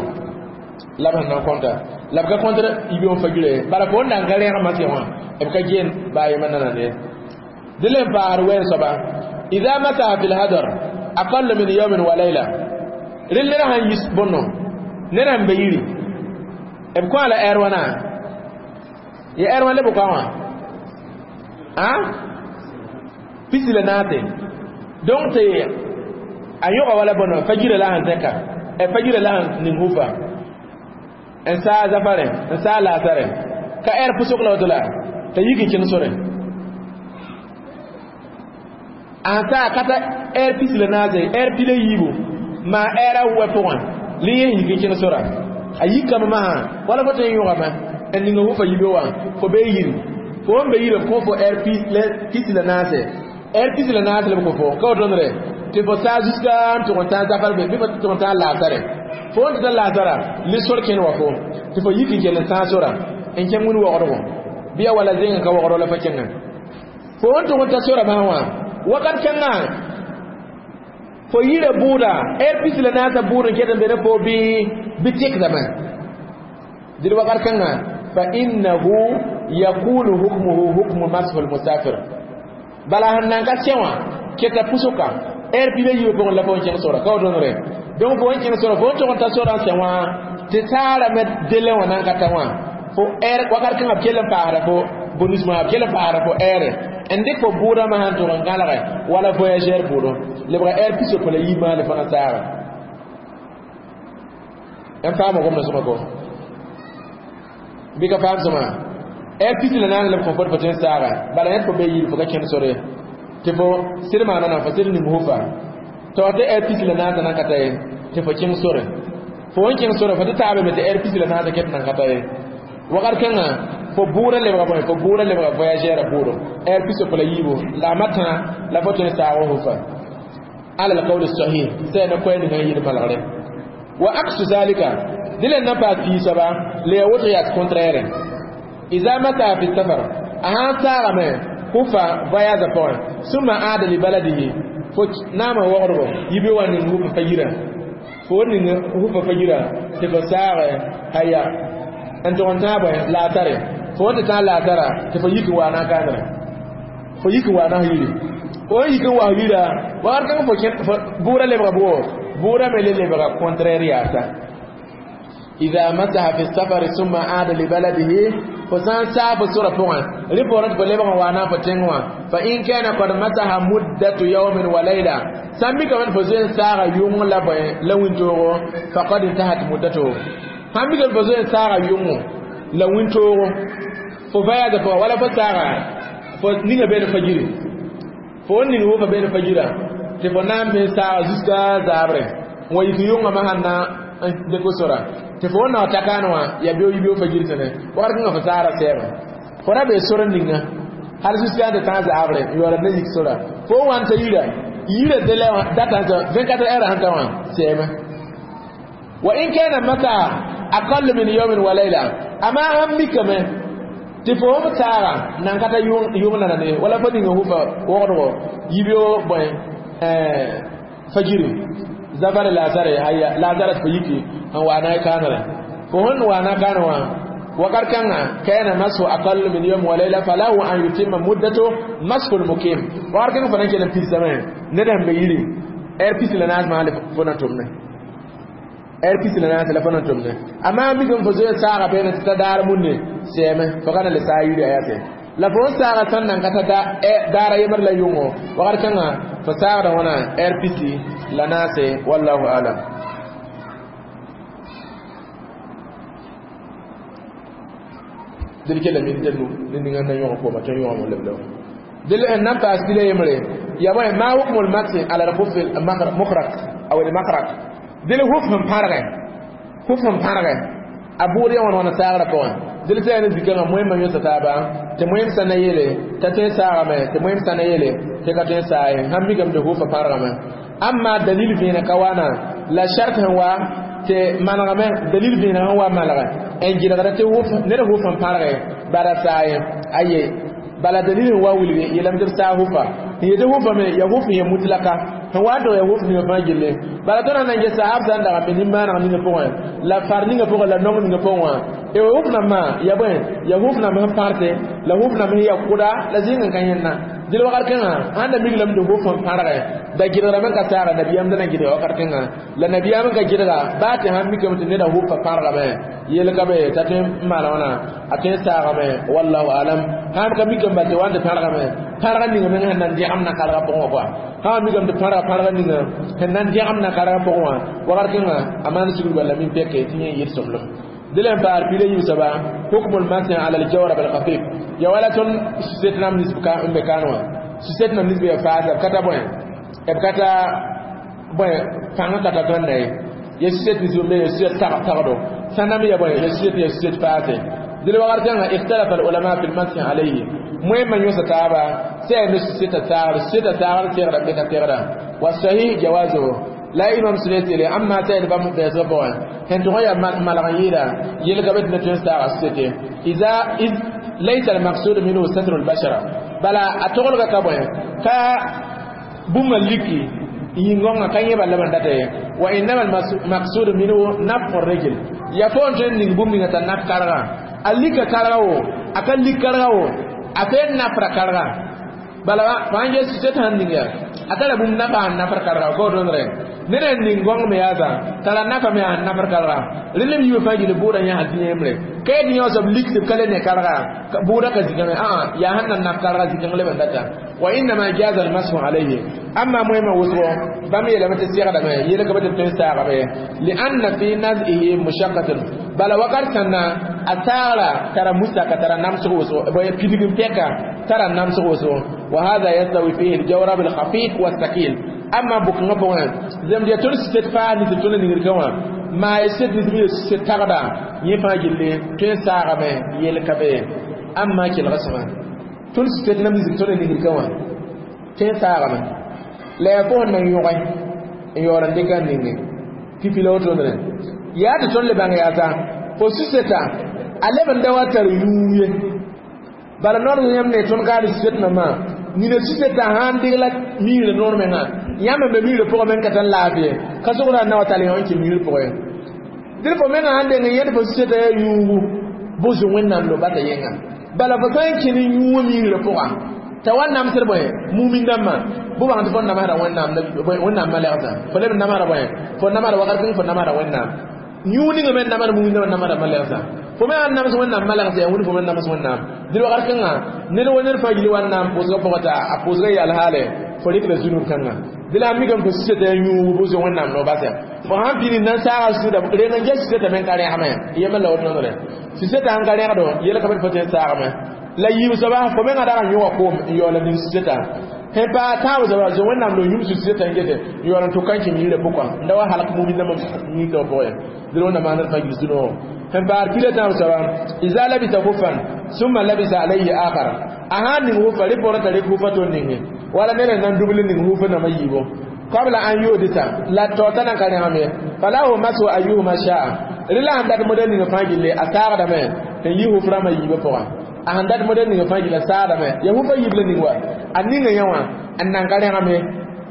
la b sẽn na n kõnta la b ka kõntr yibeoog fagirã ye bala fo n na n ka rẽgmã sẽ wã b ka geen baa yema nanande ye dẽ le n paasd wɛɛn soaba ida masaha fi lhadar aqallu min yawmin wa layla rel ned sãn yis bõno ned sẽn be yiri b kõ a la ɛɛr wãna ya ɛɛr wã le b kõ wã a pisi la naase donc tɩ a yõga wala bõno fajirã la sẽn zẽka fajirã la sẽn ning hufa n saa zafare n saa laasare ka ɛɛr pʋsg la woto la t'a yik n kẽng sore a sẽn saa ka ta ɛɛr pis la naase ɛɛr pila yiibu maa ɛɛra wɛ pʋgẽ le yẽ yik n kẽng sora a yikame masã wala fo tõe n yõgame n ninga hufa yibe wã fo bee yiri fo n be yiri b kõ fo ɛɛr pis la naase ɛɛr pis la naase la b kõ fo ka wotõndre tɩ fo saa jusqu'à n tʋg n tãag zafar be bɩ fo tʋg n tãag laasare fo n tɩ ta laasara le sor kẽnd wa fo tɩ fo yik n kell n sãag sora n kẽng wĩn wogdgo bɩ ya wala zẽng ka wogdg la fo kẽngã fo n tʋg n ta sora masã wã wakat kãngã fo yira bʋʋda ɛɛr pis la naasã bʋʋd n ket n be ne fo bɩ tekdame dɩd wakat kãngã fa innahu yakunu hukmuhu hukmu mashu lmusafir bala sẽn nan ka sẽ wã keta pʋsʋka ɛɛr pila yiibã pʋgẽ la fo n kẽng sora ka wotõndre donc fo n kẽng sora fo n tʋg n ta sora n sẽ wã tɩ saarame dele wã nan ka ta wã fo ɛɛr wakat kãngã b kell n paasda fo bonus ma b kell n paasda fo ɛɛre n dɩk fo bʋʋdã sãn tʋg n gãlge wala voyageur bʋʋdo lebga ɛɛr pisopo la yiib maane fãa saaga n faama gomda sõma ko bɩ ka faam sõma ɛɛr pis la naane la b kõ fo tɩ fo tõe n saaga bala yẽd fo be yiri fo ka kẽnd sore tɩ fo sɩd maana na fo sɩd ning hufa tɩ tɩ ɛɛr pis la naasã nan ka ta ye tɩ fo kẽng sore fo n kẽng sore fo tɩ taaba me tɩ ɛɛr pis la naasã ket nan ka ta ye wakat kãngã fo bʋʋdã lebga bõe fo bʋʋdã lebga voyageur bʋʋdo ɛɛr pisopo la yiibu la a matã la fo tõe n saag hufa ala alqawl sahih sɛ na koɛ ninga n yɩl malgre wa aksu zalika dɩ la na paas pii soaba la ya woto yaa contraire iza mata fi safar a sãn saagame hufa voyage pʋgẽ sũma aada li baladihi fo naama wogdgo yibe wa ning hufa fa yira fo ning hufa fa yira tɩ fo saage haya n tʋg n tãag bõe laasare fo n tɩ tãag laasara tɩ fo yik n waa na n kaandre fo yik n waa na yiri fo n yik n wa yira wakat kãng fo bʋʋda lebga bʋgo bʋʋda me le lebga contraire yaasa إذا مسح في السفر ثم عاد لبلده فسان ساف سورة فوان ريبورت فلبغا وانا فتنوا فإن كان قد مسح مدة يوم وليلة سامي كمان فزين ساغا يوم لا لوين توغو فقد انتهت مدته سامي كمان فزين ساغا يوم لوين توغو ففايا فو ولا فساغا fo ninga beene fajiri fo ning hufa beene fajira tɩ fo na n me saaga jusqu'à zaabre n wa yik yʋngã ma sãn na n dɩk sora tɩ fo na ta kaan wã ya beo yibeo fajir tẽne wakat kẽngã fo saara sɛɛme fo ra bee sor ninga hal jusqu'à tɩ tã zaabre n yaool n yik sora fo wa n ta yira yira délai wã datã 24 heures sẽn ta wã sɛɛme wa in kana mata aqall min yawmin wa layla amma sãn mikame tɩ fo f saaga nan ka ta yʋng nana ne wala fo ninga hufa wogdgo yibeo bõe fajiri zafar lazare haya lazare fo yiki n wa na kaanre fo sẽn wa na kaan wã wakat kãngã kana masu aqall min yawm wa layla falahu an yutimma muddatu masfu al-mukim wakat kãngã fo na n kell n pidsame ned sẽn be yiri heure pis la naas maa fo na tʋmne heure pis la naas la fo na tʋmne amaa mikame fo zoe saaga beene tɩ ta daar munne sɛɛme fo ka na le saa yiri ayate la fo n saaga sẽn nan ka ta daara yembr la yʋngo wakat kãngã fo saagda wãna heure pisi la naase wallahu alam. Dil kela min tenu ni ninga na yõg kooma tõe n yõgame lebla dil n nan paas tɩ la yembre ya bõe ma hukmul maksi ala al-khuf al-mukhrak aw al-makrak dil huf sẽn pãrgɛ huf sẽn pãrgɛ a bʋʋd ya wãn wãna saagrã pʋgẽ dil tɩ yaa ne zikãngã moẽmã yõsa taaba tɩ moẽm sã na yeele t'a tõe n saagame tɩ moẽm sã na yeele tɩ ka tõe n saa ye sãn mikame tɩ hufa pãrgame amma dalil vẽeneg ka waana la shart sẽn wa tɩ manegame dalil vẽeneg sẽn wa malgɛ n gɩlgda tɩ ned huf n pãrgɛ bala saa ye aye bala dalil sẽn wa wilgi yeelame tɩ b saa hufa n yetɩ hufa me ya huf n ya mutlaka sẽn wa n tog ya huf ninga fãa gilli bala tõnd na n ges sahaab sã n dag n be nin-maaneg ninga pʋgẽ la far ninga pʋgẽ la nong ninga pʋgẽ wã e huf nambã ya bõe ya huf namb sẽn pãrte la huf namb sẽn ya kʋda la zĩng n ka yẽnna dɩl wakat kẽngã sãn da miglame tɩ huf n pãrgɛ da gɩdgrame ka saaga nabiyaam da na gɩdga wakat kẽngã la nabiyaam n ka gɩdga baa tɩ sãn mikame tɩ neda hufa pãrgame yel ka be t'a tõe n maan wãna a tõe n saagame wallahu alam sãn ka mikame bal tɩ wa n tɩ pãrgame pãrga ninga meng sẽn na n dẽgem na karga pʋgẽ wã koa sã mikame tɩ pãrga pãrga ninga sẽn na n dẽgem na karga pʋgẽ wã wakat kẽngã a maan sugr bala min pɛke tɩ yẽ yɩl sõmblem dɩl n paar pila yiib soaba hukmul masih ala al-jawrab al-khafif ya wala tõnd suset nam nis n be kaan wã suset nam nis be ya faasa b ka ta bõe b ka ta bõe pãng ka ta tõnda ye ya suset nis be ya suset tagdo sã nam ya bõe ya suset faase dɩl wakat kãngã ikhtalafa al-ulama fi al-masih alayhi moẽmã yõsa taaba sã yaa ne suseta saagr suseta saagr segda be ka segda wa sahih jawazuhu la imam suleti le amma ta da bam da so pʋgẽ sẽn tʋg n yaa malg n yɩɩda yelka be tɩ na tõe n saaga susete iza iz laysa al-maqsud minhu satru al-bashara bala a toglga ka bõe ka bũmba liki yĩngõngã ka yẽ bala ban data ye wa innama al-maqsud minhu naf'u ar-rajul ya fo n tõe n ning bũmb ninga t'a naf kargã a lika karga wo a ka lik karga wo a tõe n nafra karga bala fãa n ges suset sãn ning yaa a tara bũmb nafa n nafr karga ka wotõndre ned n ning gõng me yaasa tara nafa me n nafr karga rẽnd b yiibã fãa gil bʋʋda yãsã tɩ yẽmbre ka yet yõ soab lik tɩ b ka le ne karga bʋʋda ka zikãngẽ ãa yaa sẽn na naf karga zikãng leb n data wa innama jaza almashu alayhi amma moẽmã wʋsgo bãmb yeelame tɩ segdame yelka be tɩ tõe n saagame lianna fi nazihi mushaqqatun bala wakat sãnna a saagra tara musaka tara namsg wʋsgo pidg n pɛka tara namsg wʋsgo wa hada yastawi fihi aljawrab alkhafif والثقيل amma bʋkẽngã pʋgẽ zemd ya tõnd suset faa nis tõnd ningr ka wã maa ya suset nis ya suset tagda yẽ fãa gilli tõe n saagame yel ka be amma kelga sõma tõnd suset nam nis tõnd ningr ka wã tõe n saagame la yaa fo sẽn na n yõge n yaool n dɩka n ninge pipi la wotondre yaa tɩ tõnd le bãng yaasa fo suseta a leb n da wa tar yũu ye bala noor yãmb ne tõnd kaad suset nambã nina suseta sãn degla miirã noor mengã yãmb n be miirã pʋgẽ meng ka tar laafɩ ka sogda n na wa tall yõ n kɩ miir pʋgẽ dɩl fo mengã sãn deng n yẽd fo suseta yaa yũugu bʋs wẽnnaam no bata yẽnga bala fo sã n kẽ ne yũuwã miirã pʋga t'a wa namsd bõe mumin dãmbã bʋ bãng tɩ fo namsda wẽnnaam malegsã fo leb n namsda bõe fo namsda wakat kẽng fo namsda wẽnnaam yũu ninga me namsd mumin dãmbã namsda malegsã fo me sãn nams wẽnnaam malegsã yaa wĩnd fo me nams wẽnnaam dɩl wakat kãngã ned wa ned fãa gil wa n na n pʋʋsgã pʋgã t'a a pʋʋsgã yaal haale fo rɩkda zunub kãngã dɩ la a mikame fo suseta yaa yũugu bʋ zoe wẽnnaam no basɛ fo sãn pĩnd na n saaga suda reng n ges suseta me n ka rẽgme yembr la wotõndre suseta sãn ka rẽgdo yel ka be tɩ fo tõe n saagame La yiib soaba fo menga dag n yõga koom n yaool n ning seta sẽn paa tãab soaba zoe wẽnnaam lo yũm sũ-seta n gete n yaool n tʋka n kẽng yirã pʋka n da wa halk mumin nambã yĩngtã pʋgẽ dẽl wẽnnaam maanr fãa gils dũ-noogo sẽn paad kila tãab soaba iza labisa khufan summa labisa alayhi akhar a sãn ning hufa rɩ pʋgẽ t'a rɩk hufa to ninge wala ned n na n dubl ning hufa nambã yiibo qabla an yudita la taota nan ka rẽgame falahu masu ayyuhuma sha'a rɩ la sẽn dat modɛl ninga fãa gilli a saagdame n yi huf rãmbã yiibã pʋgã a sẽn dat modɛl ninga fãa gilla saagdame ya hufa yiib la ning wa a ninga yã wã n nan ka rẽgame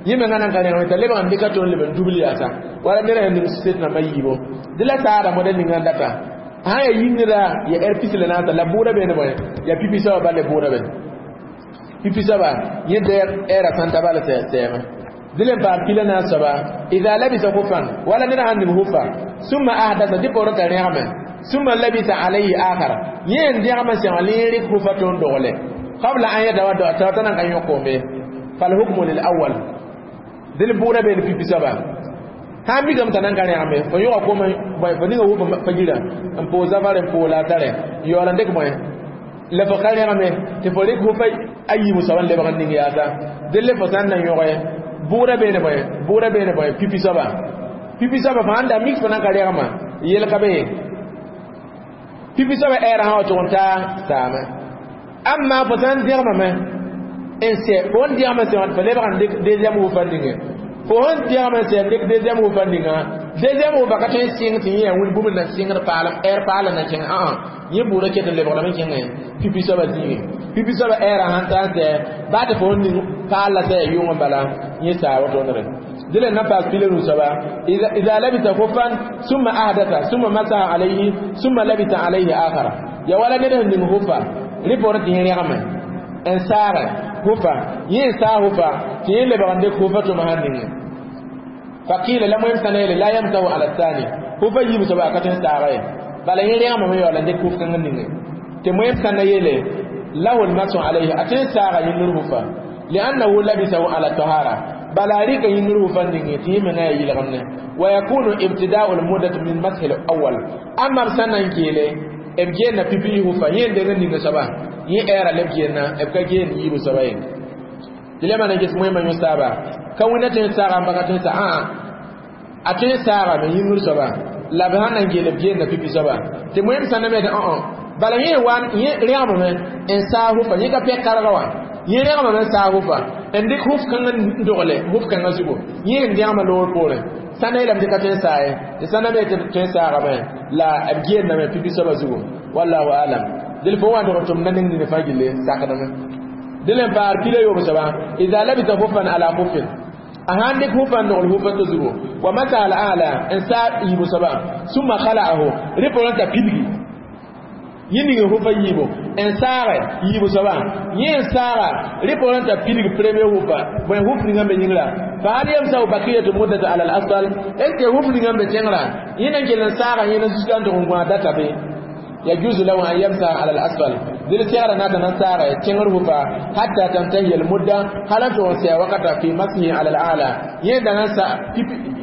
yẽ menga nan ka rẽgame t'a lebg n dɩka tɩ n leb n dubl yaasa wala ned sẽn ning set nambã yiibo dɩ la saagda modɛl ninga n data sã ya yĩngrã ya ɛr pis la naasa la bʋʋda beene bõe ya pipi soaba bal ya bʋʋda be pipi soaba yẽ ɛɛra sãn ta bala sɛɛme dɩl n paam pila naas soaba ida labisa khufan wala ned sãn ning hufa summa ahdasa dɩ poorẽ t'a rẽgame summa labisa alayhi akhar yẽ n dẽgame sẽng lẽ rɩk hufa tɩ n dogle qabla an yatawadda t'a nan ka yõ koombe falhukmu lil awwal dɩl bʋʋda beene pipi soaba sãn mikame t'a nan ka rẽgame fo yõga koom fo ninga hufa fajira n poo zafare n poo laasare n yaool n dɩk bõe la fo ka rẽgame tɩ fo rɩk hufa a yiibu soaba n lebg n ning yaasa dɩl le fo sã n na yõge bʋʋda beene bõe bʋʋda beene bõe pipi soaba pipi soaba fo sãn da mik fo nan ka rẽgema yel ka be pipi soaba ɛɛra sã wa tʋg n taa saame amma fo sã n dẽgemame n sɛ fo n dẽgeme sẽ wã fo lebg n dɩk deuxième hufa ninge fo sẽn dẽgeme sɛ n dɩk deuxième hufa ninga deuxième hufa ka tõe n sɩng tɩ yẽ yaa wĩn bũmb na sɩngd paalem ɛɛr paalem na kẽng ãã yẽ bʋʋda ket n lebgdame kẽngẽ pipi soaba zĩige pipi soaba ɛɛra sãn ta n sɛ baa tɩ fo n ning paal la sɛ ya yʋng n bala yẽ saa wotondre dɩl n na paas pila nu soaba ida labisa khufan summa ahdatha summa masaha alayhi summa labisa alayhi akhara ya wala ned sẽn ning hufa rɩ poorẽ tɩ yẽ rẽgame n saage hufa yẽ n saag hufa tɩ yẽ lebg n dɩk hufa tʋma sãn ninge faqila la moem sã na yeele la yamsahu ala thani hufa yiib soaba a ka tõe n saaga ye bala yẽ rẽgemame yaool n dɩk huf kãng n ninge tɩ moem sã na yeele lahu lmasu alayhi a tõe n saaga yĩngr hufa liannahu labisahu ala tahara bala a rɩka yĩngr hufa ninge tɩ yẽ menga yaa yɩlgemne wa yakunu ibtida'u lmuddat min mashi lawal amma b sã na n keele b geenna pipi hufa yẽ n deng n ninga soaba yẽ ɛɛra leb geenna b ka geen yiibu soaba ye tɩ le maan n ges moẽmã yõ saaba ka wẽnna tõe n saaga n baka tõe n sa ãa a tõe n saagame yĩngr soaba la b sãn na n geel b geenna pipi soaba tɩ moẽm sã na me tɩ õ bala yẽ wa yẽ rẽgemame n saag hufa yẽ ka pɛk karga wã yẽ rẽgemame n saag hufa n dɩk huf kãngã n dogle huf kãngã zugu yẽ n dẽgemã loor poorẽ sã na yeelame tɩ ka tõe n saa ye tɩ sã na me tɩ tõe n saagame la b geendame pipi soaba zugu wallahu alam dɩl fo wa n tʋg tʋm na ning nini fãa gilli sakdame dɩl n paar pila yoob soaba ida labisa hufan ala hufin a sãn dɩk hufa n dogl hufa to zugu wa masa al ala n saa yiibu soaba summa khala'ahu rɩ poorẽ t'a pidgi yẽ ning hufa yiibu n saage yiibu soaba yẽ n saaga rɩ poorẽ t'a pidg premier hufa bõe huf ninga n be yĩngra fa hal yamsahu bakiyatu muddata ala al asfal est ce que huf ninga n be tẽngrã yẽ na n kell n saaga yẽ na zusga n tʋg n gõa data be يجوز له أن يمسح على الأسفل دل سيارة ناتا نسارة تنغر هفا حتى تنتهي المدة هل تونسي وقت في مسحه على الأعلى يدا نسا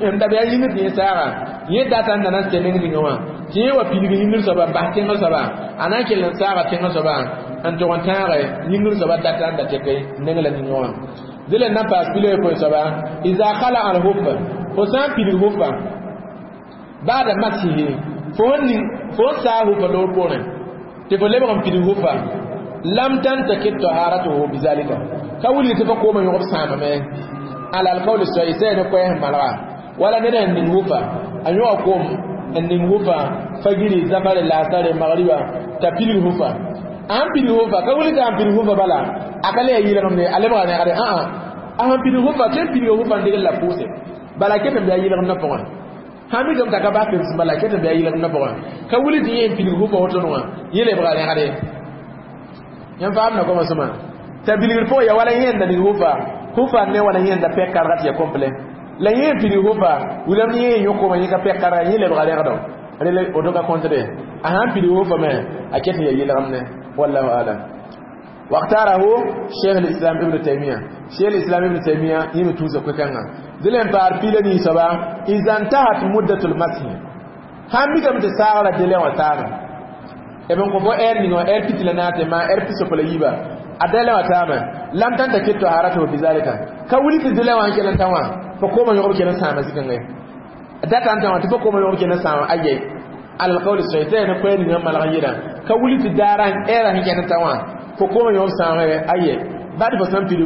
عند بيا يمت يسارة يدا تن نسا نينغ نينغوا تي وا بيلغ يمر سبا با تنغر سبا أنا كل نسارة تنغر سبا أن تون تنغر يمر سبا داتا دا تكي نينغ نينغوا دل نباس بيلغ كوي سبا إذا خلع الهفا فسان بيلغ هفا بعد مسحه fo n saa hufa loor poorẽ tɩ fo lebg n pidg hufa lam tantakid taharatuhu bizalika ka wilg tɩ fo koomã yõgb sãamame ala alqawl sahih sã ne koɛɛs n malga wala ned n ning hufa a yõga koom n ning hufa fagiri zafare laasare magriba t'a pidg hufa a sãn pidg hufa ka wilg tɩ a pidg hufa bala a ka le ya yɩlgemde a lebga rẽgde ãa a sãn pidg hufa tɩ n pidga hufa n degl la pʋʋse bala ket n be a yɩlgemdã pʋgẽ sãn mikame t'a ka bas pems bala ket n be a yɩlgemdã pʋgẽ ka wilg tɩ yẽ n pidg hufa woto wã yẽ lebga rẽgde yẽn faamda koma sõma t'a bilgr pʋgẽ ya wala yẽnda ning hufa hufa ne wala yẽnda pɛk karga tɩ ya complet la yẽ n pidg hufa wilame yẽ n yõ kooma yẽ ka pɛk karga yẽ lebga rẽgdo rele woto ka kõtre a sãn pidg hufa me a ket n ya yɩlgemne wallahu alam واختاره شيخ الإسلام ابن تيمية شيخ الإسلام ابن تيمية يمي توزا كوكانا دلين بار بيلني سبا إذا انتهت مدة المسح هم بيكم تساغلا دلين وتاغا Eben ko fo er ninga er pitila naate ma er piso pala yiba adala wa tama lam tanta kitto haratu bi zalika ka wuli ti dila wan kelan tawa fo ko ma yogo kelan sama zikange data anta wa fo ko ma yogo kelan sama aye al qawl shaytan ko ni malga yida ka wuli ti daran era hin kelan tawa fo ko ma yogo sama aye ba di fo san pidu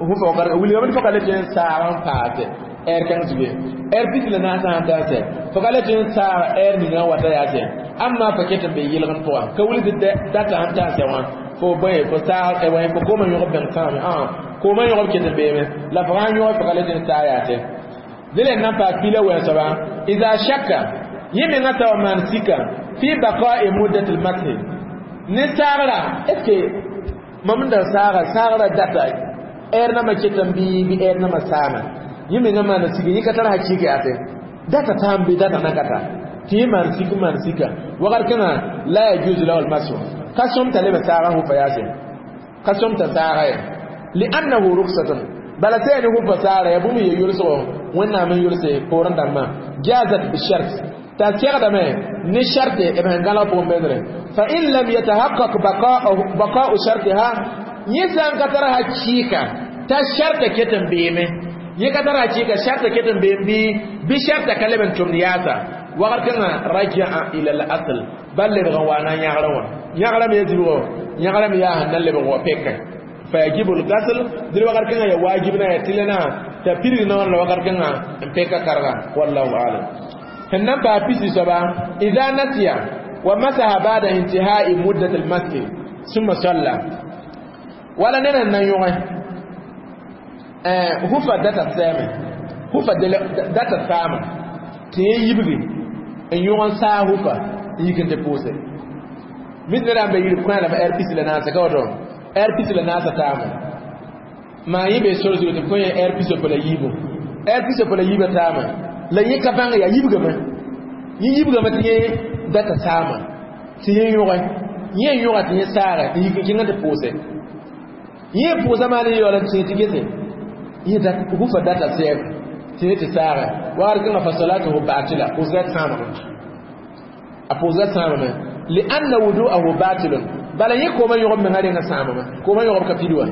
hu fo kar wuli ma fo ka le ten saran paate er kan zuge er pitila na sa anta se fo ka le ten sa er ni wata ya se amma fa ketan be yilgan to ka wuli ti data anta se wa fo boye fo sa e wa fo ko ma yogo ben sama ah ko ma yogo ketan be me la fa yogo fo ka le ten sa ya se dile nan pa pila wa saba idha shakka yimi ngata wa man sika fi baqa'i muddat al-math ni sagra est-ce que mam da sagra sagra data er na ma ketan bi bi er na ma sama yimi ngama na sika yika tar hakika ya te data tambi data nakata ti man sika man sika wagar kana la yajuzu lahu al-masu kasum talaba sagra hu fayase kasum ta sagra li'annahu rukhsatun bala sai ni hu fasara ya bumi ya yulso wannan min yulse koran damma jazat bi shart ta segdame ni sharte e ben gala po medre fa in lam yatahaqqaq baqa'u baqa'u shartiha yisan ka tara hakika ta sharta ketan beme yi ka tara hakika sharta ketan bembi bi sharta kalaban tumniyata wagar kana raja'a ila al-asl balle ga wana nyagra wa nyagra me yajibo nyagra me ya hanan le wa pekka fa yajibu al-ghasl dil wagar kana ya wajibna ya tilana ta pirgi na wannan wagar kana pekka karga wallahu a'lam. Hannan ba fisi saba idza nasiya wa masaha ba'da intihai muddat al-masjid thumma salla. Wala nena nan yoge hufa data seme hufa data sama te yibgi en yogon sa hufa yikin te pose min nera be yiri kwa la rpc la nasa ka wato rpc la nasa tama ma yibe sorzo te ko rpc ko la yibo rpc ko la yiba tama la yi ka banga ya yibga ma yi yibga ma te data sama te yogon yi yoga te sara yikin kinga te pose yi pose ma ne yola te te gese yi da hufa data seme te te sara war kan fa salatuhu batila pose sama a pose sama ma li anna wudu'ahu batilun bala yi ko man yogob men hade nga sama ma ko man yogob ka pidwa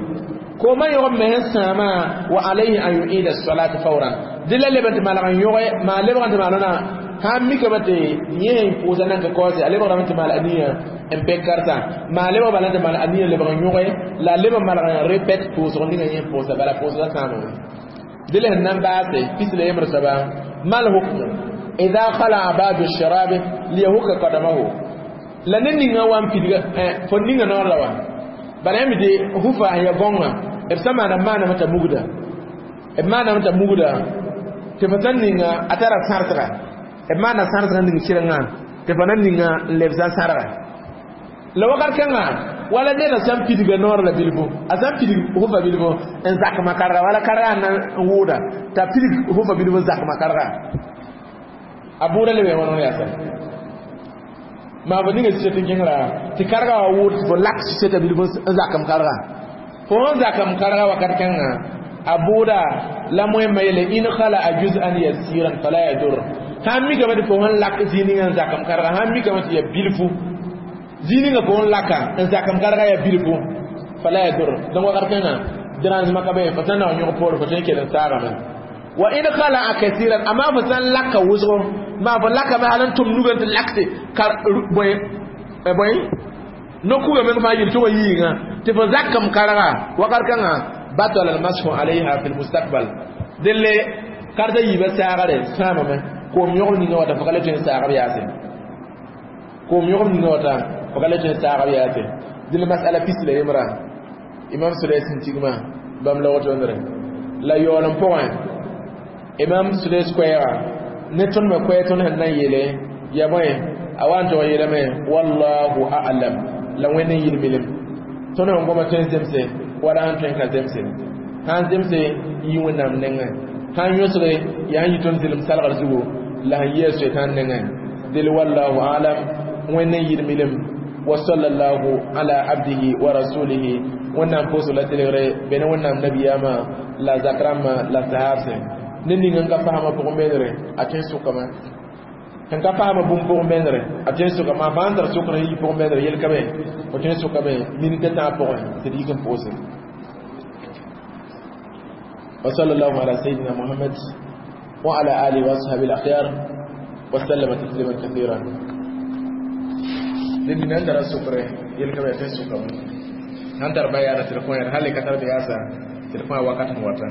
ko man yogob men sama wa alayhi an yu'ida as-salata fawran dilla lebant malagan yogoy ma lebant malana ha mi ka bate yen pose nan ka ko se ale ba mate mal aniya en pekarta ma leba balanta mal aniya leban yogoy la leba malagan répète pose on dinga yen pose bala pose la sama dilla nan baase pisle yemr saba mal hukmu idha khala ba'd ash-sharab liyahuka qadamahu la ne ninga wan pidga fo ninga no la wa bala mi de hufa ya gonga e sama na mana mata mugda e mana mata mugda te fatan ninga atara sartra e mana sartra ninga kiranga te fanan ninga lebza sarra la wakar kanga wala ne na sam pidga nor la bilbo asam pidig hufa bilbo en zak makarra wala karra na wuda ta pidig hufa bilbo zak makarra abura le be wono ya sa ma ba ninga site tingira ti karga wa wud fo lak site bilbo zakam karga fo zakam karga wa karkanga abuda la moy mayele in khala juz'an yasiran fala yadur ha mi ga fo hon lak zininga zakam karga ha mi ga ya bilfu zininga fo hon laka zakam karga ya bilfu fala yadur don wa karkanga diran makabe fa tanna nyu por fa tan kedan sara man wa in khala kathiran amma fa san laka wuzo ma fa laka ma halan tum nugan lakte kar boy boy no kuga men fa yil to yinga te fa zakam karga wa karkanga batal al mashu alaiha fil mustaqbal delle karta yiba sagare sama me ko mi yogol ninga wata fa kala tin sagare yasin ko mi yogol ninga wata fa kala tin sagare yasin dille mas'ala pisle yimra imam sudais tigma bam la woto ndre la yolam point imam sudais kwera ne ton me kwe ton han nan yele ya boy awan to yele me wallahu a'lam la wenen yil milim ton on goma ten zemse wala an ten ka zemse han zemse yi wonam nenga han yosre ya yi ton zilim salgar zugo la yesu tan nenga dil wallahu a'lam wenen yil milim wa sallallahu ala abdihi wa rasulihi wannan poso la telere bene wannan nabiyama la zakrama la sahabse ne ninga nga fahama pʋgẽ menere a tõe sʋkame Sẽn ka paama bũmb pʋgẽ bẽndre, a tõe n soka maa fãa n tar sokr n yi pʋgẽ bẽndre yel ka be, fo tõe n sokame minit a tãab pʋgẽ tɩ d yik n pʋʋse. وصلى الله على سيدنا محمد وعلى آله وأصحابه الأخيار وسلم تسليما كثيرا. لأن نندر السكر يلقى بيتين سكر نندر بيانا تلفون هل كتر بياسا تلفون وقت موتا.